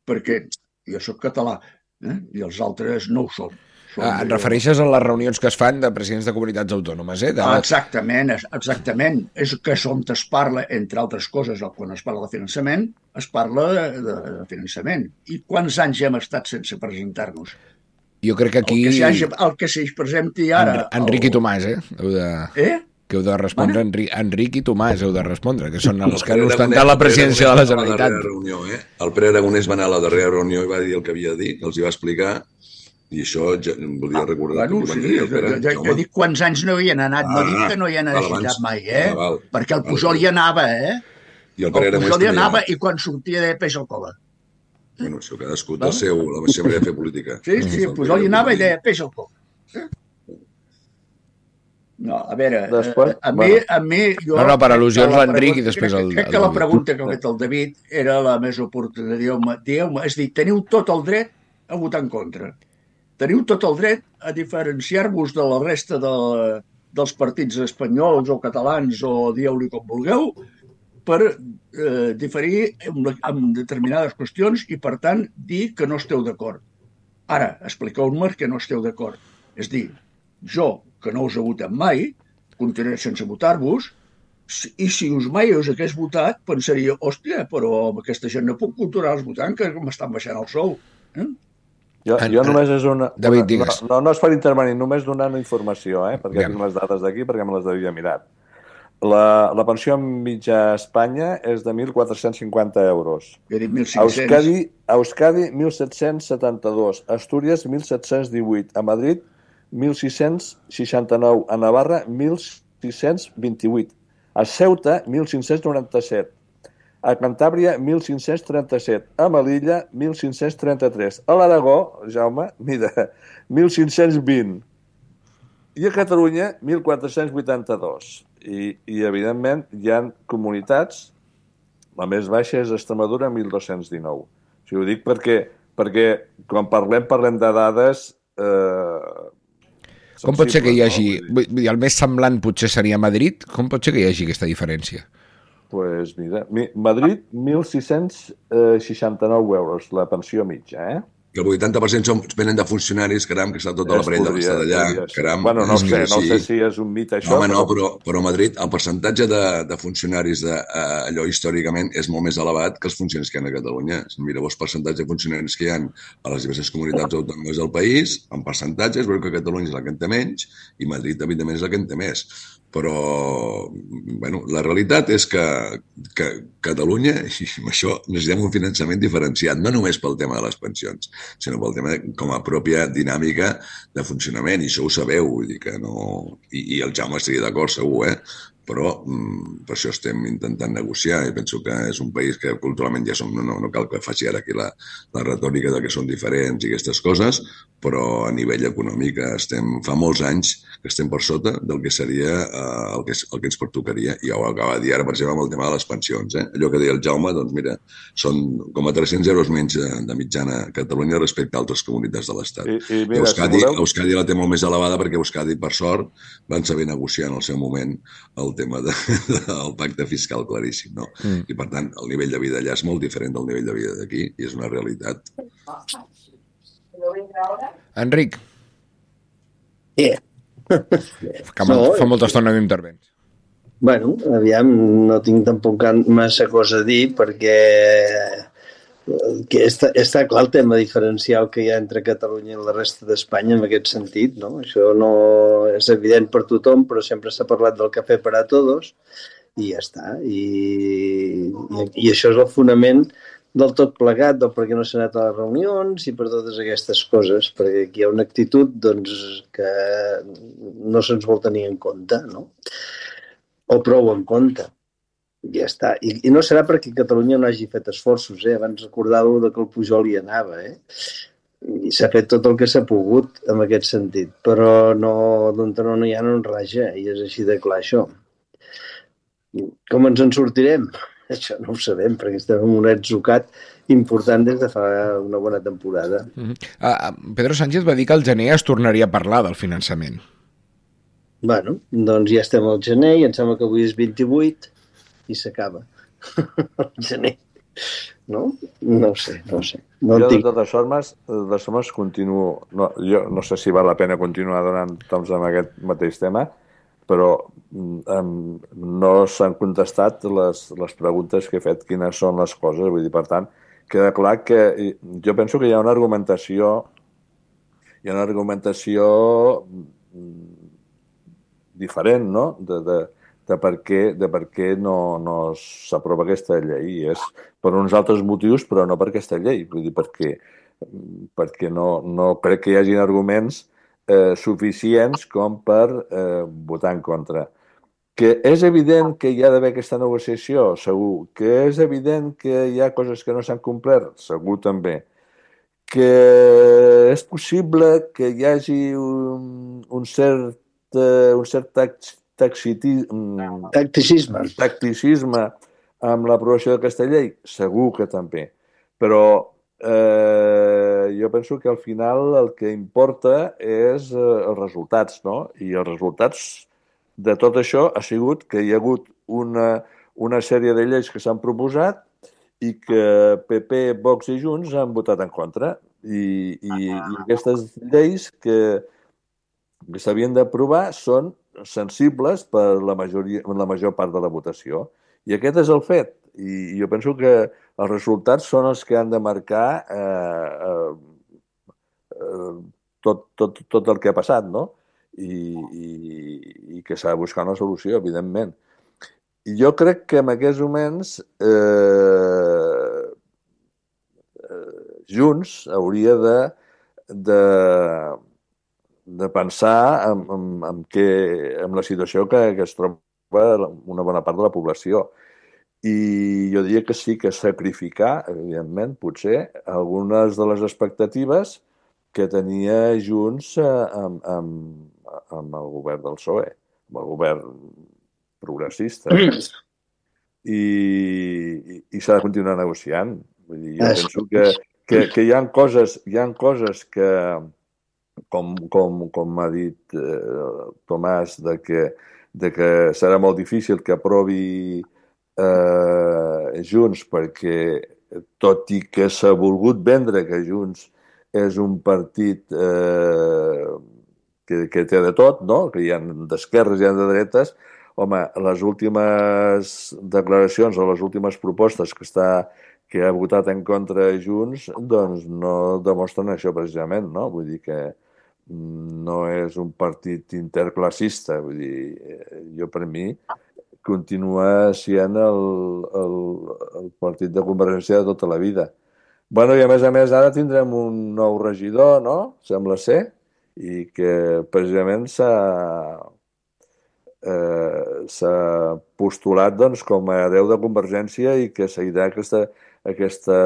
perquè jo sóc català eh? i els altres no ho són. Ah, et refereixes a les reunions que es fan de presidents de comunitats autònomes, eh? De... Exactament, exactament. És que és on es parla, entre altres coses, quan es parla de finançament, es parla de, de, de finançament. I quants anys hem estat sense presentar-nos? Jo crec que aquí... El que s'hi hagi, el que s'hi presenti ara... En, Enric el... i Tomàs, eh? Heu de... Eh? Que heu de respondre, Enric, Enric i Tomàs heu de respondre, que són els que han ostentat la presidència de la Generalitat. Reunió, eh? El Pere Aragonès va anar a la darrera reunió i va dir el que havia de dir, que els hi va explicar, i això ja, volia recordar... Ah, bueno, sí, dir, Pere, jo, jo, jo dic quants anys no hi han anat, ah, no dic que no hi han necessitat mai, eh? Ah, val, perquè el Pujol hi anava, eh? I el, el Pujol hi anava i quan sortia de peix al cova. Bueno, això cadascú del seu, la seva manera de fer política. Sí, sí, el Pujol hi anava i deia peix al cova. No, a veure, després, a, mi, a mi... Jo, no, no, per al·lusions l'Enric i després el... Crec que la pregunta que ha fet el David era la més oportuna. Dieu-me, dieu-me, és dir, teniu tot el dret a votar en contra. Teniu tot el dret a diferenciar-vos de la resta de, dels partits espanyols o catalans o dieu-li com vulgueu per eh, diferir en, en determinades qüestions i, per tant, dir que no esteu d'acord. Ara, expliqueu-me que no esteu d'acord. És dir, jo, que no us he votat mai, continuaré sense votar-vos, i si us mai us hagués votat, pensaria, hòstia, però amb aquesta gent no puc continuar-los votant, que m'estan baixant el sou. Eh? Jo, en, jo només és una... David, una digues. no, no és per intervenir, només donant informació, eh? perquè Bien. tinc les dades d'aquí, perquè me les havia mirat. La, la pensió mitja a Espanya és de mil quatre-cents cinquanta euros. Jo he dit mil cinc-cents. Euskadi, Euskadi mil set-cents setanta-dos. Astúries, mil set-cents divuit. A Madrid, mil sis-cents seixanta-nou. A Navarra, mil sis-cents vint-i-vuit. A Ceuta, mil cinc-cents noranta-set. A Cantàbria, mil cinc-cents trenta-set. A Melilla, mil cinc-cents trenta-tres. A l'Aragó, Jaume, mira, mil cinc-cents vint. I a Catalunya, mil quatre-cents vuitanta-dos. I, i evidentment, hi ha comunitats, la més baixa és Extremadura, mil dos-cents dinou. O sigui, ho dic perquè, perquè quan parlem, parlem de dades... Eh, Com pot ser que hi hagi... No? El més semblant potser seria Madrid? Com pot ser que hi hagi aquesta diferència? Doncs pues mira, Madrid, mil sis-cents seixanta-nou euros, la pensió mitja, eh? Que el vuitanta per cent són, venen de funcionaris, caram, que està tota la parella de d'allà, caram. Bueno, no sé, no sé si és un mit això. Home, no, però, però a Madrid el percentatge de, de funcionaris de, uh, allò històricament és molt més elevat que els funcionaris que hi ha a Catalunya. Si mireu els percentatges de funcionaris que hi ha a les diverses comunitats autònomes del país, en percentatges, veureu que Catalunya és la que en té menys i Madrid, evidentment, és la que en té més. Però, bueno, la realitat és que, que Catalunya, i amb això necessitem un finançament diferenciat, no només pel tema de les pensions, sinó pel tema de, com a pròpia dinàmica de funcionament, i això ho sabeu, vull dir que no... I, i el Jaume estaria d'acord, segur, eh? Però mm, per això estem intentant negociar i penso que és un país que culturalment ja som... No, no, no cal que faci ara aquí la, la retòrica de que són diferents i aquestes coses, però a nivell econòmic estem, fa molts anys que estem per sota del que seria eh, el, que, el que ens pertocaria. I ja ho acaba de dir ara, per exemple, amb el tema de les pensions. Eh? Allò que deia el Jaume, doncs mira, són com a tres-cents euros menys de mitjana a Catalunya respecte a altres comunitats de l'Estat. I, i mira, Euskadi, si voleu... Euskadi la té molt més elevada perquè Euskadi, per sort, van saber negociar en el seu moment el tema de, del pacte fiscal claríssim, no? Mm. I, per tant, el nivell de vida allà és molt diferent del nivell de vida d'aquí i és una realitat. Enric. Yeah. Que no, fa molta estona que intervens. Bueno, aviam, no tinc tampoc massa cosa a dir perquè que està, està clar el tema diferencial que hi ha entre Catalunya i la resta d'Espanya en aquest sentit, no? Això no és evident per tothom, però sempre s'ha parlat del cafè per a tots i ja està. I, I això és el fonament del tot plegat, del per què no s'ha anat a les reunions i per totes aquestes coses, perquè aquí hi ha una actitud doncs, que no se'ns vol tenir en compte, no? O prou en compte. Ja està. I, i no serà perquè Catalunya no hagi fet esforços, eh? Abans recordàveu que el Pujol hi anava, eh? I s'ha fet tot el que s'ha pogut en aquest sentit, però no, d'on no, no hi ha no en raja, i és així de clar això. Com ens en sortirem? Això no ho sabem, perquè estem en un atzucat important des de fa una bona temporada. Uh-huh. Uh, Pedro Sánchez va dir que al gener es tornaria a parlar del finançament. Bueno, doncs ja estem al gener i em sembla que avui és vint-i-vuit i s'acaba. El gener. No? No ho sé, no ho sé. No jo, tinc... de totes formes, de totes formes continuo... No, jo no sé si val la pena continuar donant toms amb aquest mateix tema, però um, no s'han contestat les, les preguntes que he fet, quines són les coses. Vull dir, per tant, queda clar que jo penso que hi ha una argumentació hi ha una argumentació diferent, no?, de, de, de per què, de per què no, no s'aprova aquesta llei. És per uns altres motius, però no per aquesta llei. Vull dir, perquè, perquè no, no crec que hi hagin arguments Eh, suficients com per eh, votar en contra. Que és evident que hi ha d'haver aquesta negociació, segur. Que és evident que hi ha coses que no s'han complert, segur també. Que és possible que hi hagi un, un cert, eh, un cert tax, taxiti, tacticisme. tacticisme amb l'aprovació d'aquesta llei, segur que també. Però Eh, jo penso que al final el que importa és eh, els resultats, no? I els resultats de tot això ha sigut que hi ha hagut una, una sèrie de lleis que s'han proposat i que P P, Vox i Junts han votat en contra. I, i, i aquestes lleis que, que s'havien d'aprovar són sensibles per la, majoria, la major part de la votació. I aquest és el fet. I jo penso que els resultats són els que han de marcar eh, eh, tot, tot, tot el que ha passat, no? I, i, i que s'ha de buscar una solució, evidentment. I jo crec que en aquests moments eh, eh, Junts hauria de, de, de pensar en, en, en, que, en la situació que, que es troba una bona part de la població. I jo diria que sí que sacrificar, evidentment, potser, algunes de les expectatives que tenia Junts amb, amb, amb el govern del P S O E, amb el govern progressista. I, i, i s'ha de continuar negociant. Vull dir, jo penso que, que, que hi ha coses, hi ha coses que, com, com, com ha dit eh, Tomàs, de que, de que serà molt difícil que aprovi Eh, Junts, perquè tot i que s'ha volgut vendre que Junts és un partit eh, que, que té de tot, no? Que hi ha d'esquerres i hi ha de dretes, home, les últimes declaracions o les últimes propostes que, està, que ha votat en contra Junts, doncs no demostren això precisament, no? Vull dir que no és un partit interclassista, vull dir, jo per mi continua sent el, el, el partit de Convergència de tota la vida. Bueno, i a més a més ara tindrem un nou regidor, no? Sembla ser, i que precisament s'ha eh, s'ha postulat doncs, com a hereu de Convergència i que seguirà aquesta, aquesta,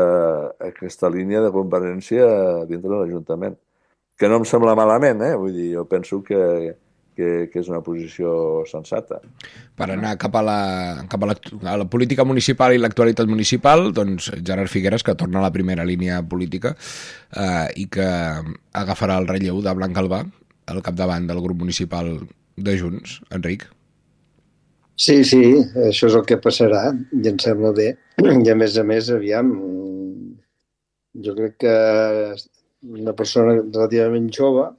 aquesta línia de Convergència dintre de l'Ajuntament. Que no em sembla malament, eh? Vull dir, jo penso que Que, que és una posició sensata. Per anar cap a la, cap a la, a la política municipal i l'actualitat municipal, doncs Gerard Figueras, que torna a la primera línia política eh, i que agafarà el relleu de Blanc Albà al capdavant del grup municipal de Junts. Enric? Sí, sí, això és el que passarà i em sembla bé. I a més a més, aviam, jo crec que una persona relativament jove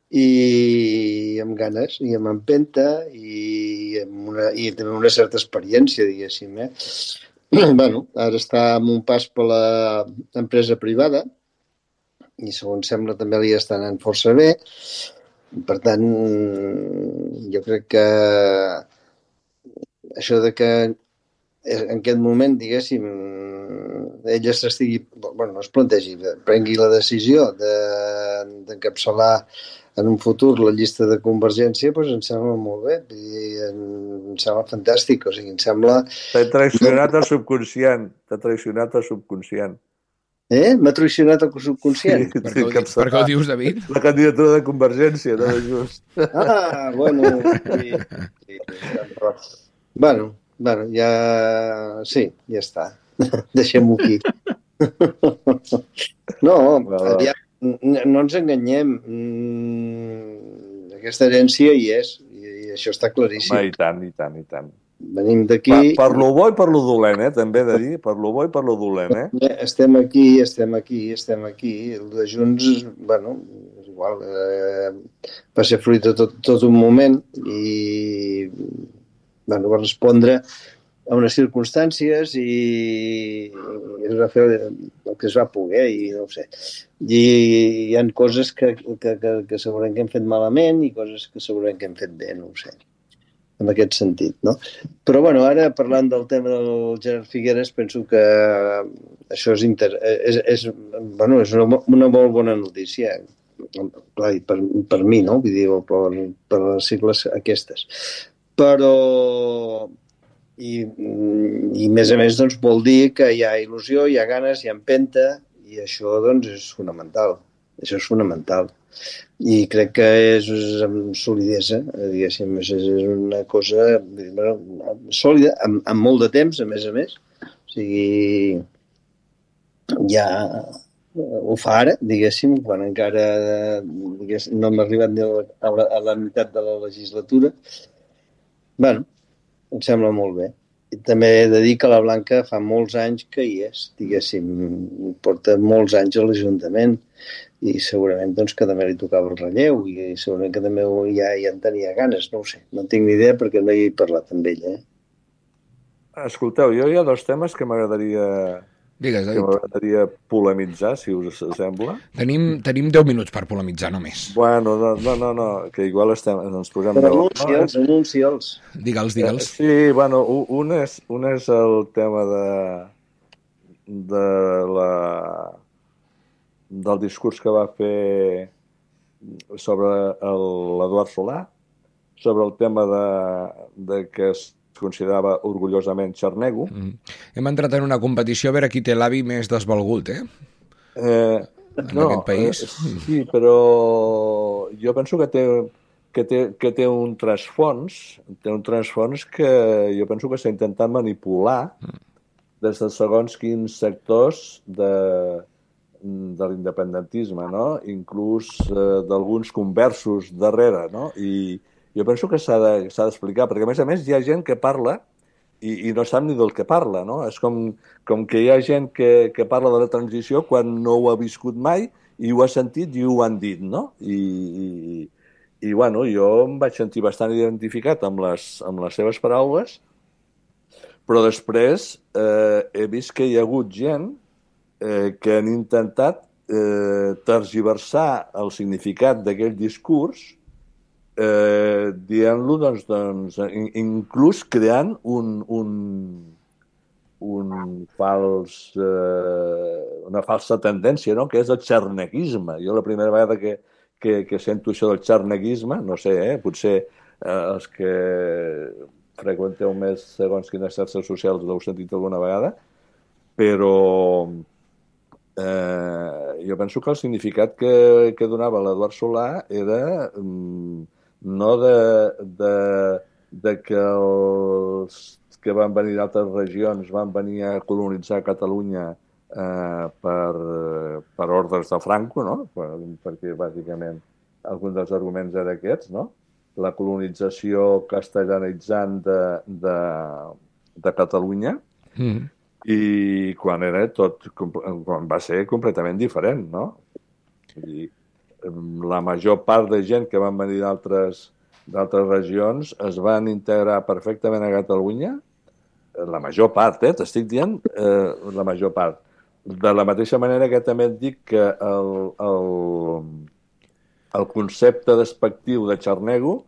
i amb ganes, i amb empenta i, amb una, i també una certa experiència, diguéssim. Eh? Bueno, ara està en un pas per l'empresa privada i segons sembla també li està anant força bé. Per tant, jo crec que això de que en aquest moment, diguéssim, ella s'estigui, bueno, no es plantegi, prengui la decisió d'encapçalar en un futur la llista de Convergència, doncs em sembla molt bé, i em sembla fantàstic, o sigui, em sembla... T'ha traicionat el subconscient, t'ha traicionat el subconscient. Eh? M'ha traicionat el subconscient? Per què ho, di- per què ho dius, David? La candidatura de Convergència, no de Just. Ah, bueno, sí, sí, però... Bueno, bueno, ja... Sí, ja està. Deixem-ho aquí. No, ja, no ens enganyem. Aquesta herència hi és, i això està claríssim. Home, i tant, i tant, i tant. Venim d'aquí... Per, per lo bo i per lo dolent, eh? També he de dir, per lo bo i per lo dolent, eh? Estem aquí, estem aquí, estem aquí. El de Junts, bueno, és igual, eh, va ser fruit de tot, tot un moment i bueno, va respondre a unes circumstàncies i, i es va fer el que es va poder i no ho sé. I hi ha coses que, que, que, que segurament que hem fet malament i coses que segurament que hem fet bé, no ho sé, en aquest sentit, no? Però, bueno, ara, parlant del tema del Gerard Figueres, penso que això és, inter... és, és, bueno, és una, una molt bona notícia, clar, per, per mi, no? Vull dir, per, per les sigles aquestes. Però... I, i a més a més, doncs, vol dir que hi ha il·lusió, hi ha ganes, hi ha empenta, i això, doncs, és fonamental. Això és fonamental. I crec que és amb solidesa, diguéssim, és una cosa bueno, sòlida, amb, amb molt de temps, a més a més. O sigui, ja ho fa ara, diguéssim, quan encara diguéssim, no hem arribat ni a la, a la meitat de la legislatura. Bueno, em sembla molt bé. I també he de dir que la Blanca fa molts anys que hi és, diguéssim, porta molts anys a l'Ajuntament i segurament doncs, que també li tocava el relleu i segurament que també ja, ja en tenia ganes, no ho sé. No tinc ni idea perquè no hi he parlat amb ella. Eh? Escolteu, jo hi ha dos temes que m'agradaria... Digues, que m'agradaria polemitzar, si us sembla. Tenim, tenim deu minuts per polemitzar, només. Bueno, no, no, no, no que igual estem, ens posem... Però anuncia'ls, no, anuncia'ls. Digue'ls, digue'ls. Eh, sí, bueno, un és, un és el tema de, de la, del discurs que va fer sobre l'Eduard Solà, sobre el tema de, de que es considerava orgullosament xarnego. Mm. Hem entrat en una competició a veure qui té l'avi més desvalgut, eh? eh en no, aquest país. Eh, sí, però jo penso que té, que té, que té un trasfons, té un trasfons que jo penso que s'ha intentat manipular mm. des de segons quins sectors de, de l'independentisme, no? Inclús eh, d'alguns conversos darrere, no? I jo penso que s'ha d'explicar, de, perquè a més a més hi ha gent que parla i, i no sap ni del que parla, no? És com, com que hi ha gent que, que parla de la transició quan no ho ha viscut mai i ho ha sentit i ho han dit, no? I, i, i bueno, jo em vaig sentir bastant identificat amb les, amb les seves paraules, però després eh, he vist que hi ha hagut gent eh, que han intentat eh, tergiversar el significat d'aquell discurs Eh, dient-lo, doncs, doncs, inclús creant un, un, un fals, eh, una falsa tendència, no? Que és el xarneguisme. Jo la primera vegada que, que, que sento això del xarneguisme, no sé, eh, potser eh, els que freqüenteu més segons quines xarxes socials l'heu sentit alguna vegada, però eh, jo penso que el significat que, que donava l'Eduard Solà era... Mm, no de, de, de que els que van venir d'altres regions van venir a colonitzar Catalunya eh, per, per ordres de Franco, no? Per, perquè bàsicament algun dels arguments era aquests, no? La colonització castellanitzant de, de, de Catalunya mm. i quan era tot, quan va ser completament diferent, no? I la major part de gent que van venir d'altres d'altres regions es van integrar perfectament a Catalunya, la major part, eh? T'estic dient eh, la major part. De la mateixa manera que també et dic que el, el, el concepte despectiu de xarnego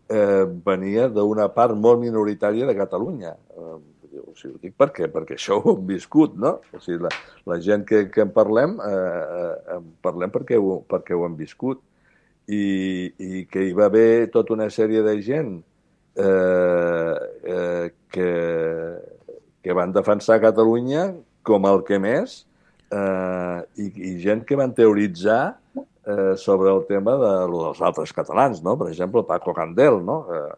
eh, venia d'una part molt minoritària de Catalunya. Eh, O sigui, ho dic per què? Perquè això ho hem viscut, no? O sigui, la, la gent que, que en parlem, eh, en parlem perquè ho, perquè ho hem viscut. I, i que hi va haver tota una sèrie de gent eh, eh, que, que van defensar Catalunya com el que més, eh, i, i gent que van teoritzar eh, sobre el tema de, dels altres catalans, no? Per exemple, Paco Candel, no? Eh,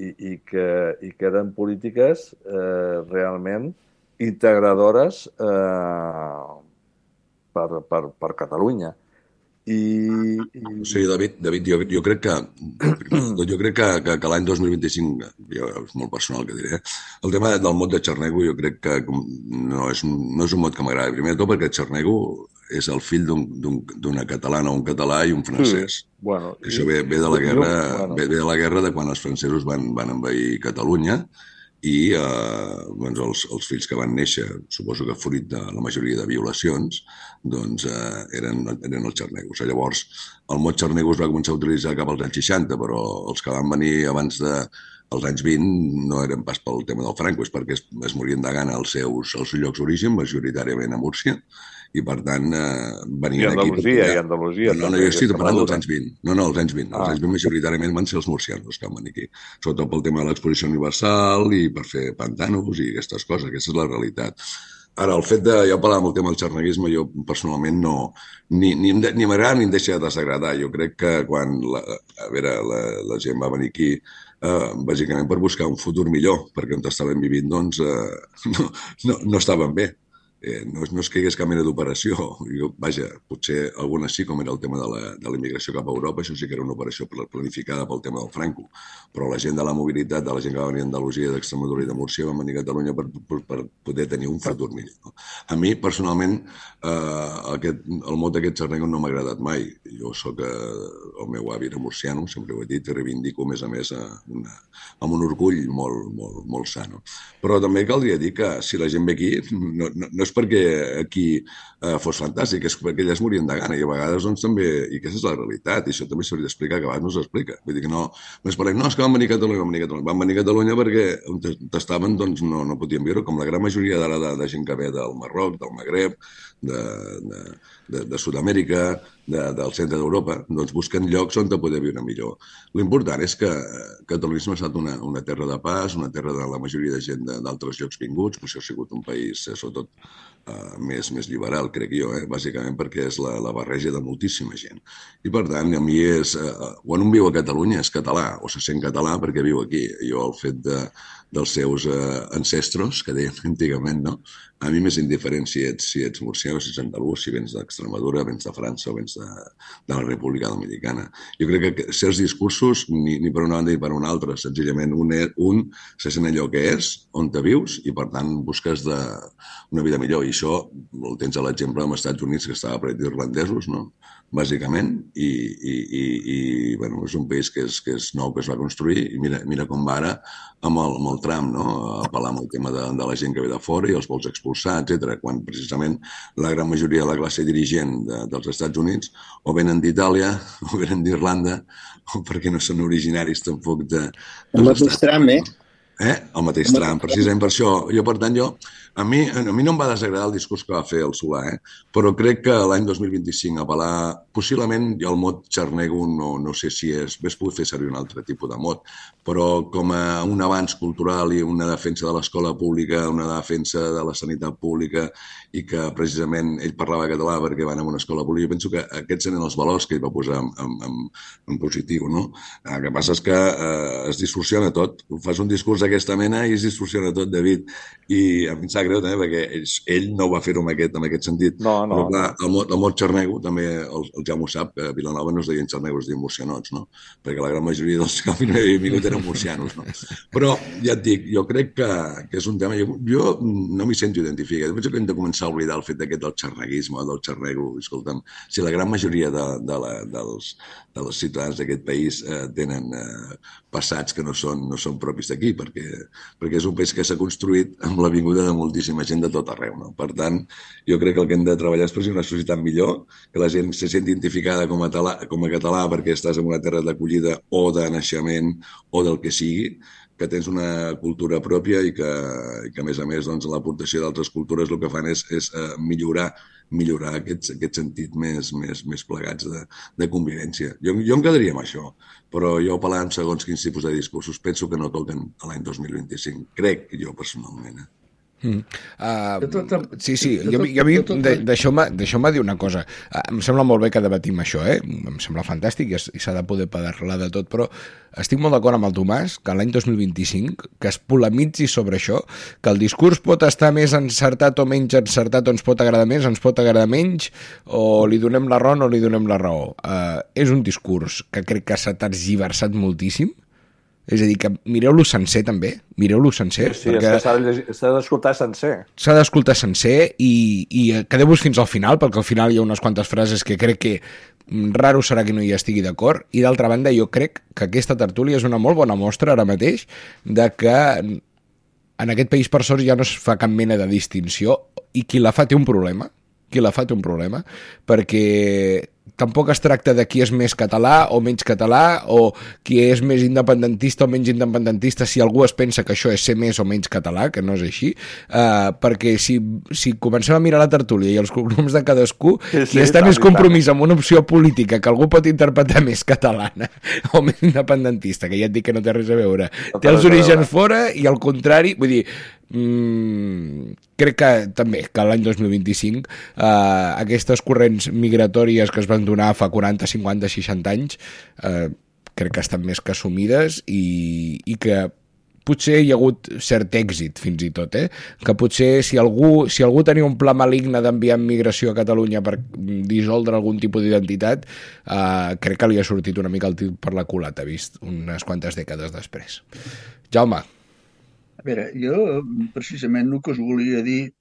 i, i, que, i que eren polítiques eh, realment integradores eh, per, per, per Catalunya. I, i... O sigui, David, David jo, jo crec que jo crec que, que, que l'any dos mil vint-i-cinc, jo, és molt personal que diré, el tema del mot de xarnego jo crec que no és, no és un mot que m'agrada. Primer de tot perquè xarnego és el fill d'una catalana, un català i un francès. Sí, bueno, això ve, ve, de la guerra, bueno. ve, ve de la guerra de quan els francesos van, van envair Catalunya i eh, doncs els, els fills que van néixer, suposo que fruit de la majoria de violacions, doncs eh, eren, eren els xarnegos. Llavors, el mot xarnego es va començar a utilitzar cap als anys seixanta, però els que van venir abans de, als anys vint no eren pas pel tema del Franco, és perquè es, es morien de gana als seus, als seus llocs d'origen, majoritàriament a Múrcia, i per tant eh, venien I Andalusia, aquí... I Andalusia. No, no, jo estic parlant dels anys vint. No, no, els anys vint. Els ah. anys vint majoritàriament van ser els murcianos que van venir aquí. Sobretot pel tema de l'exposició universal i per fer pantanos i aquestes coses. Aquesta és la realitat. Ara, el fet de... Ja parlàvem del tema del xarneguisme, jo personalment no... Ni, ni, ni m'agrada ni em deixa de desagradar. Jo crec que quan la, a veure, la, la gent va venir aquí eh, bàsicament per buscar un futur millor, perquè on estaven vivint, doncs, eh, no, no, no estaven bé. Eh, no, no és que hi hagués cap mena d'operació. Vaja, potser algunes sí, com era el tema de la, de la immigració cap a Europa, això sí que era una operació planificada pel tema del Franco. Però la gent de la mobilitat, de la gent que va venir d'Andalusia, d'Extremadura i de Múrcia, van venir a Catalunya per, per, per poder tenir un futur millor. No? A mi, personalment, eh, aquest, el mot d'aquest xarnego no m'ha agradat mai. Jo soc, eh, el meu avi era murciano, sempre ho he dit, i reivindico, a més a més, a una, amb un orgull molt, molt, molt sano. Però també caldria dir que si la gent ve aquí, no, no, no és perquè aquí eh, fos fantàstic, és perquè elles morien de gana i a vegades doncs també, i aquesta és la realitat i això també s'hauria d'explicar, que a vegades no s'explica. Vull dir que no, no es parlem, no, és que van venir a Catalunya, van venir a Catalunya, van venir a Catalunya perquè on estaven doncs no, no podien viure, com la gran majoria d'ara de, de gent que ve del Marroc, del Magreb, de, de, de, de Sud-amèrica, de, del centre d'Europa, doncs busquen llocs on poder viure millor. L'important és que Catalunya ha estat una, una terra de pas, una terra de la majoria de gent d'altres llocs vinguts, potser ha sigut un país, sobretot, Uh, més, més liberal, crec jo, eh? Bàsicament perquè és la, la barreja de moltíssima gent. I per tant, a mi és... Uh, quan un viu a Catalunya és català, o se sent català perquè viu aquí. Jo, el fet de, dels seus uh, ancestros, que deien antigament, no? A mi m'és indiferent si ets, si ets murcià o si ets andalús, si vens d'Extremadura, vens de França o vens de, de la República Dominicana. Jo crec que certs discursos, ni, ni per una banda ni per una altra, senzillament un, un se sent allò que és, on te vius, i per tant busques de, una vida millor. I això el tens a l'exemple dels Estats Units, que estava ple d'irlandesos, no? Bàsicament, i, i, i, i bueno, és un país que és, que és nou, que es va construir, i mira, mira com va ara amb el, amb el Trump, no? Apel·lar amb el tema de, de la gent que ve de fora i els vols expulsar, etcètera. Quan precisament la gran majoria de la classe dirigent de, dels Estats Units o venen d'Itàlia, o venen d'Irlanda, o perquè no són originaris tampoc de... El mateix Trump, eh? Eh? El mateix Trump, precisament per això. Jo, per tant, jo... A mi, a mi no em va desagradar el discurs que va fer el Solà, eh? Però crec que l'any dos mil vint-i-cinc apel·lar... Possiblement el mot xarnego no, no sé si és... Ves poder fer servir un altre tipus de mot, però com a un avanç cultural i una defensa de l'escola pública, una defensa de la sanitat pública i que precisament ell parlava català perquè van a una escola pública, jo penso que aquests eren els valors que ell va posar en, en, en positiu, no? El que passa és que eh, es distorsiona tot. Fas un discurs d'aquesta mena i es distorsiona tot, David, i a mi em sap greu també perquè ell, ell no va fer-ho en aquest, en aquest sentit. No, no. Però clar, el mot, el mot xarnego també el, el Jaume ho sap, a Vilanova no es deien xarnegos, es deien murcianots, no? Perquè la gran majoria dels que havien vingut eren murcianos, no? Però ja et dic, jo crec que, que és un tema... Jo, jo no m'hi sento identificat. Penso que hem de començar a oblidar el fet d'aquest del xarneguisme, del xarnego. Escolta'm, si la gran majoria de, de la, dels, dels ciutadans d'aquest país eh, tenen eh, passats que no són, no són propis d'aquí, perquè, perquè és un país que s'ha construït amb la vinguda de moltíssima gent de tot arreu, no? Per tant, jo crec que el que hem de treballar és per ser una societat millor, que la gent se senti identificada com a, talà, com a català perquè estàs en una terra d'acollida o de naixement o del que sigui, que tens una cultura pròpia i que, i que a més a més, doncs, l'aportació d'altres cultures el que fan és, és uh, millorar, millorar aquest, aquest sentit més, més, més plegats de, de convivència. Jo, jo em quedaria amb això, però jo apel·lant segons quins tipus de discursos penso que no toquen a l'any dos mil vint-i-cinc. Crec jo personalment, eh? Mm. Uh, sí, sí, jo, jo, jo deixeu-me dir una cosa. Uh, em sembla molt bé que debatim això, eh? Em sembla fantàstic i, i s'ha de poder parlar de tot, però estic molt d'acord amb el Tomàs que l'any dos mil vint-i-cinc que es polemitzi sobre això, que el discurs pot estar més encertat o menys encertat, o ens pot agradar més, ens pot agradar menys, o li donem la raó o no li donem la raó. Uh, és un discurs que crec que s'ha tergiversat moltíssim. És a dir, que mireu-lo sencer també, mireu-lo sencer. Sí, perquè s'ha d'escoltar sencer. S'ha d'escoltar sencer i, i quedeu-vos fins al final, perquè al final hi ha unes quantes frases que crec que raro serà que no hi estigui d'acord, i d'altra banda jo crec que aquesta tertúlia és una molt bona mostra ara mateix de que en aquest país per sort ja no es fa cap mena de distinció i qui la fa té un problema, qui la fa té un problema, perquè tampoc es tracta de qui és més català o menys català o qui és més independentista o menys independentista si algú es pensa que això és ser més o menys català, que no és així, uh, perquè si, si comencem a mirar la tertúlia i els cognoms de cadascú, sí, sí, qui està més compromís amb una opció política que algú pot interpretar més catalana o més independentista, que ja et dic que no té res a veure, no té els orígens fora i al contrari, vull dir, Mm, crec que també que l'any dos mil vint-i-cinc eh, aquestes corrents migratòries que es van donar fa quaranta, cinquanta, seixanta anys eh, crec que estan més que assumides i, i que potser hi ha hagut cert èxit fins i tot, eh? Que potser si algú, si algú tenia un pla maligne d'enviar migració a Catalunya per dissoldre algun tipus d'identitat, eh, crec que li ha sortit una mica el tir per la culata vist unes quantes dècades després. Jaume. A veure, jo precisament el que us volia dir,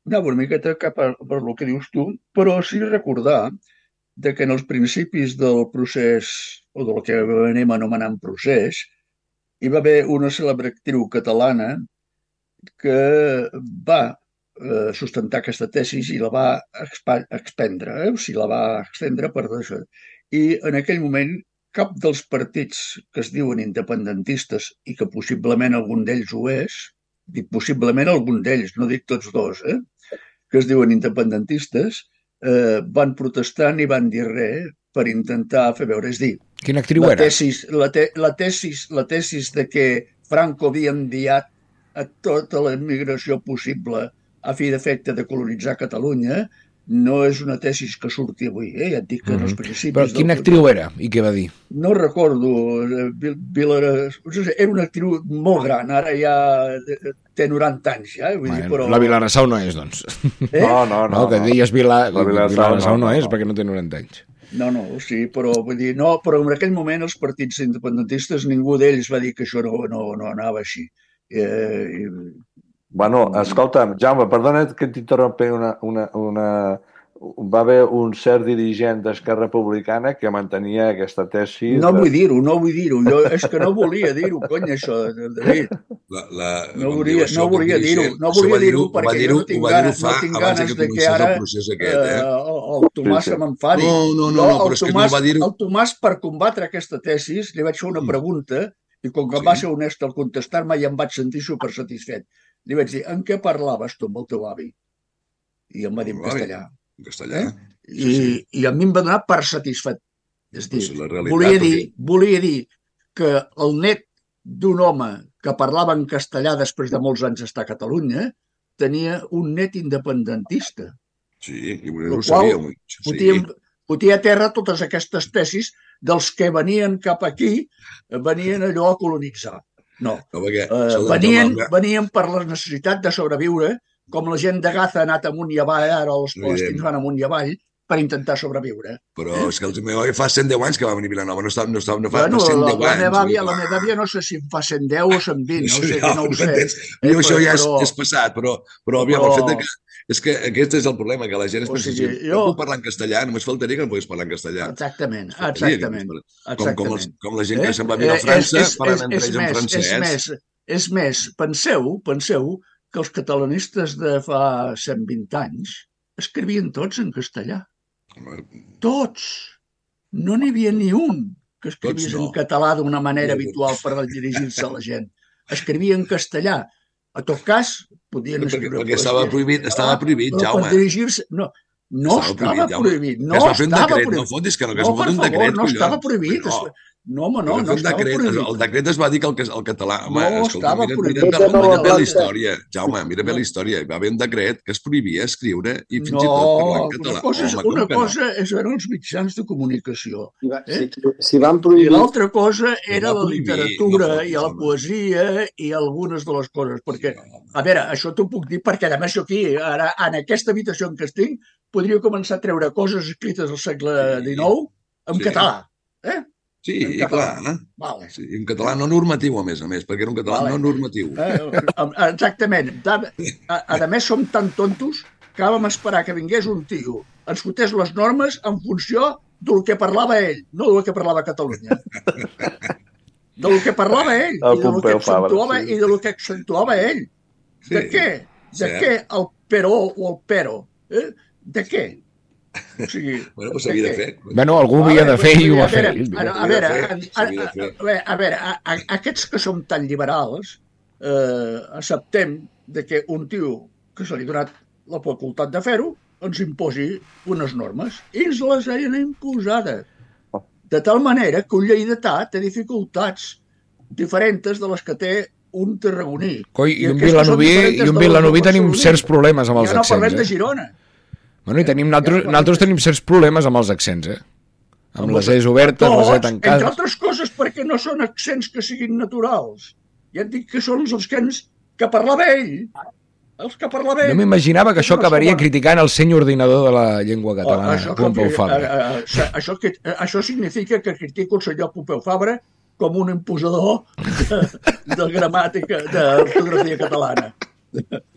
anava una miqueta cap a, per el que dius tu, però sí recordar de que en els principis del procés, o del que anem anomenant procés, hi va haver una cèlebre actriu catalana que va eh, sustentar aquesta tesi i la va expendre, eh? O sigui, la va extendre per això. I en aquell moment cap dels partits que es diuen independentistes i que possiblement algun d'ells ho és, dic possiblement algun d'ells, no dic tots dos, eh, que es diuen independentistes, eh, van protestar ni van dir res per intentar fer veure. És dir, quina actriu la era? Tesis, la, te, la, tesis, la tesis de que Franco havia enviat a tota la immigració possible a fi d'efecte de colonitzar Catalunya no és una tesis que surti avui, eh? Ja et dic que mm-hmm. en els principis... Però quina del... actriu era i què va dir? No recordo. Vilara... Era una actriu molt gran, ara ja té noranta anys, ja. Vull bueno, dir, però... La Vilarasau no és, doncs. Eh? No, no, no. No, que deies Vila... La Vilarasau no, no, no és, no. perquè no té noranta anys. No, no, sí, però vull dir, no, però en aquell moment els partits independentistes, ningú d'ells va dir que això no, no, no anava així. Eh, i... Bueno, escolta'm, Jaume, perdona que t'interrompi una, una, una... Va haver un cert dirigent d'Esquerra Republicana que mantenia aquesta tesi... No de... vull dir-ho, no vull dir-ho. Jo és que no volia dir-ho, cony, això, David. La, la, no volia, no volia dir-ho, no volia dir-ho perquè jo no tinc ganes, no tinc ganes de que ara aquest, eh? el, el Tomàs se m'enfadi. No, no, no, no, però és que no va dir-ho... El Tomàs, per combatre aquesta tesis, li vaig fer una pregunta i com que sí. va ser honest al contestar-me ja em vaig sentir supersatisfet. Li vaig dir, en què parlaves tu amb el teu avi? I em va dir en castellà. En castellà. Eh? I, sí, sí. I a mi em va donar per satisfet. És dir, pues realitat, volia, dir, perquè... volia dir que el net d'un home que parlava en castellà després de molts anys estar a Catalunya tenia un net independentista. Sí, i no ho sabia. Sí. Fotia, fotia a terra totes aquestes tesis dels que venien cap aquí, venien allò a colonitzar. No, no perquè, uh, venien, venien per la necessitat de sobreviure, com la gent de Gaza ha anat amunt i avall, ara els palestins van amunt i avall, per intentar sobreviure. Però és que el meu avi fa cent deu anys que va venir a Vilanova, no, està, no, està, no fa bueno, cent deu la, anys. La meva, àvia, la meva àvia no sé si en fa cent deu o cent vint, no, sé, no, no ho sé. Eh, això ja és, és passat, però, però, però... el fet de que és que aquest és el problema, que la gent es pensa, o sigui, si jo... puc parlar en castellà, només faltaria que no pogués parlar en castellà. Exactament, exactament. Com, com, els, com la gent que se'n va viure a França, eh, parlant entre ells en francès. És més, és més, penseu, penseu que els catalanistes de fa cent vint anys escrivien tots en castellà. Tots. No n'hi havia ni un que escrivís no. en català d'una manera no, habitual per dirigir-se a la gent. escrivia en castellà. A tot cas, podien Perquè, escriure... perquè estava prohibit, estava prohibit, però Jaume. per dirigir-se... No, no estava prohibit. No es va fer un estava decret, prohibit. no fotis, que no, que es No, va per fer un favor, decret, no collons. estava prohibit. No. No, home, no, Es va no fer un estava decret, prohibit. el decret es va dir que el, el català... Home, No escolta, estava mira, prohibit. mira, mira, No, mira bé no, la història, Jaume, mira bé la història. Hi va haver un decret que es prohibia escriure i fins i tot parlar en català. Una cosa, és, Home, com una que no? cosa és eren els mitjans de comunicació. Si, va, Eh? si, si van I prohibir... l'altra cosa era va la prohibir, literatura no fotis, i la home. poesia i algunes de les coses. Perquè, a veure, això t'ho puc dir perquè, a més, jo aquí, ara, en aquesta habitació en què estic, podria començar a treure coses escrites al segle dinou en Sí. català. Eh? Sí, en i català. clar. Vale. Sí, en català no normatiu, a més a més, perquè era un català Vale. no normatiu. Eh, exactament. A, a, a més, som tan tontos que vam esperar que vingués un tio, ens fotés les normes en funció del que parlava ell, no del que parlava Catalunya. Del que parlava ell, El i del que Pompeu Fabra, accentuava, sí. i del que accentuava ell. Sí. De què? De Cert. què el però o el però? Eh? De què? O sigui, Bueno, doncs s'havia de què? fer. Bueno, algú ho havia de fer i ho va a fer. veure, a, a veure, a, a, S'havia a, de fer. a, a veure, a, a, aquests que som tan liberals, eh, acceptem de que un tio que se li ha donat la facultat de fer-ho ens imposi unes normes. I ens les han imposades. De tal manera que un lleidatà té dificultats diferents de les que té un tarragoní. Coi, i un aquestes són vilanoví, diferents i un de les vilanoví del tenim barceloní. certs problemes amb els Ja no parlem accents, de eh? Girona. Bueno, i tenim, nosaltres, nosaltres tenim certs problemes amb els accents, eh? Amb les E's obertes, les E Tots, entre tancades... altres coses perquè no són accents que siguin naturals. Ja et dic que són els accents que parlava ell. Els que parlava ell. No m'imaginava que això No acabaria són- criticant el seny ordinador de la llengua Oh, catalana, això, Pompeu que- Fabra. eh, eh, això, que, això significa que critico el senyor Pompeu Fabra com un imposador de, de gramàtica, d'ortografia catalana.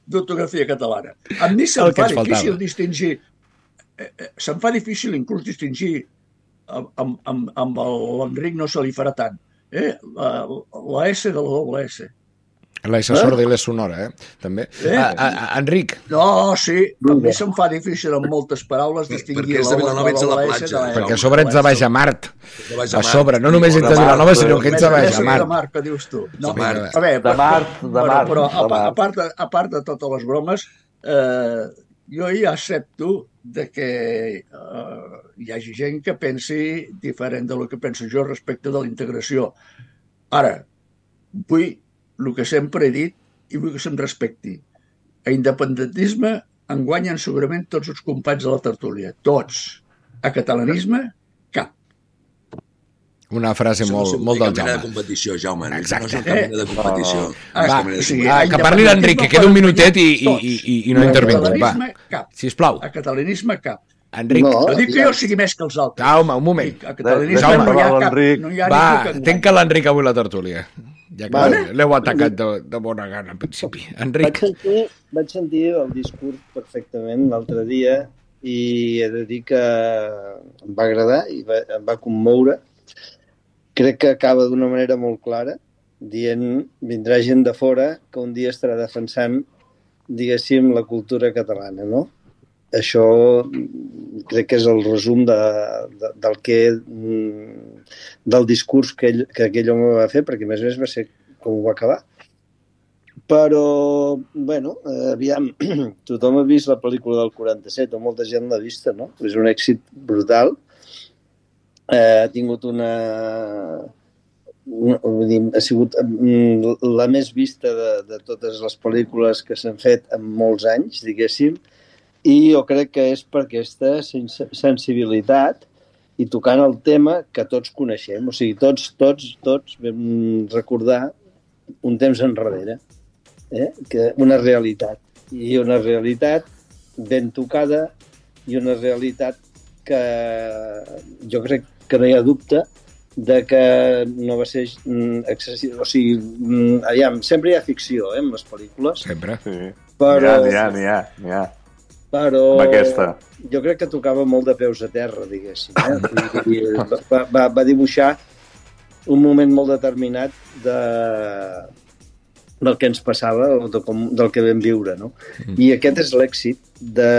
D'ortografia catalana. A mi se'm El que fa ens faltava. difícil distingir, eh, eh, se'm fa difícil inclús distingir amb, amb, amb, amb l'Enric no se li farà tant. Eh? La, la S de la doble S. La S sorda i la sonora, eh? També. Eh? A, a, a, Enric, No, sí, a mi se'm fa difícil amb moltes paraules distingir Perquè és de Vilanova, ets a la doble S platja. de la perquè a doble sobre ets de S. baix a Mart. De baix A Mar. sobre, no només ets de De Mart, Vilanova, sinó que de- ets de baix Més a de Mart. Mar, que dius tu. No, De Mar. a veure, De Mart, de bueno, Mart, però de a, Mart. a, part de, a part de totes les bromes, eh, jo ja accepto de que eh, hi hagi gent que pensi diferent del que penso jo respecte de la integració. Ara, vull el que sempre he dit i vull que se'm respecti. A independentisme en guanyen segurament tots els companys de la tertúlia. Tots. A catalanisme, cap. Una frase Això no molt, és molt del cap mena de Jaume. competició, Jaume. Exacte. No és cap mena de competició. Ah, No és cap Va, mena de sí, competició. Ah, a que parli l'Enric, que queda un minutet i, i, i, i, i no A intervingut. Va, catalanisme, cap. sisplau. A catalanisme, cap. Enric, No. No dic que jo sigui més que els altres. Jaume, un moment. Dic, a catalanisme Jaume, no hi ha cap. l'Enric. No hi ha Va, ningú que tenca l'Enric avui la tertúlia. Ja que Vale. l'heu atacat de, de bona gana, al principi. Vaig Enric, sentir, vaig sentir el discurs perfectament l'altre dia i he de dir que em va agradar i va, em va commoure. Crec que acaba d'una manera molt clara, dient vindrà gent de fora que un dia estarà defensant, diguéssim, la cultura catalana, no? Això mm, crec que és el resum de, de, del que mm, del discurs que, ell, que aquell home va fer, perquè a més a més va ser com ho va acabar. Però, bueno, eh, aviam, tothom ha vist la pel·lícula del quaranta-set, o molta gent l'ha vista, no? És un èxit brutal. Eh, ha tingut una... una vull dir, ha sigut mm, la més vista de, de totes les pel·lícules que s'han fet en molts anys, diguéssim, i jo crec que és per aquesta sens sensibilitat i tocant el tema que tots coneixem. O sigui, tots, tots, tots vam recordar un temps enrere, eh? Que una realitat. I una realitat ben tocada i una realitat que jo crec que no hi ha dubte de que no va ser excessiu. O sigui, aviam, sempre hi ha ficció, eh, en les pel·lícules. sempre. Sí. Però, N'hi ha, n'hi ha, n'hi ha. però Amb aquesta. jo crec que tocava molt de peus a terra, diguéssim. Eh? I, i va, va, va dibuixar un moment molt determinat de, del que ens passava o de com, del que vam viure, no? Mm. I aquest és l'èxit de...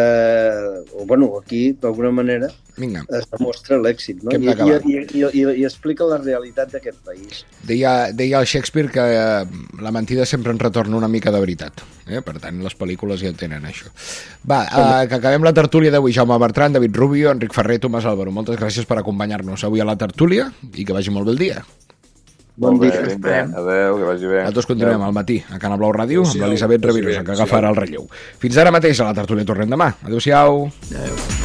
O, bueno, aquí, d'alguna manera, Vinga. es demostra l'èxit, no? I, i, i, i, i explica la realitat d'aquest país. Deia, deia el Shakespeare que eh, la mentida sempre en retorna una mica de veritat. Eh? Per tant, les pel·lícules ja tenen això. Va, eh, que acabem la tertúlia d'avui. Jaume Bertran, David Rubio, Enric Ferrer, Tomàs Álvaro. Moltes gràcies per acompanyar-nos avui a la tertúlia i que vagi molt bé el dia. Bon dia. Vinga, adéu, que vagi bé. Nosaltres continuem al matí a Canal Blau Ràdio amb l'Elisabet Revirosa, que agafarà el relleu. Fins ara mateix a la tertúlia tornem demà. Adéu-siau. Adéu.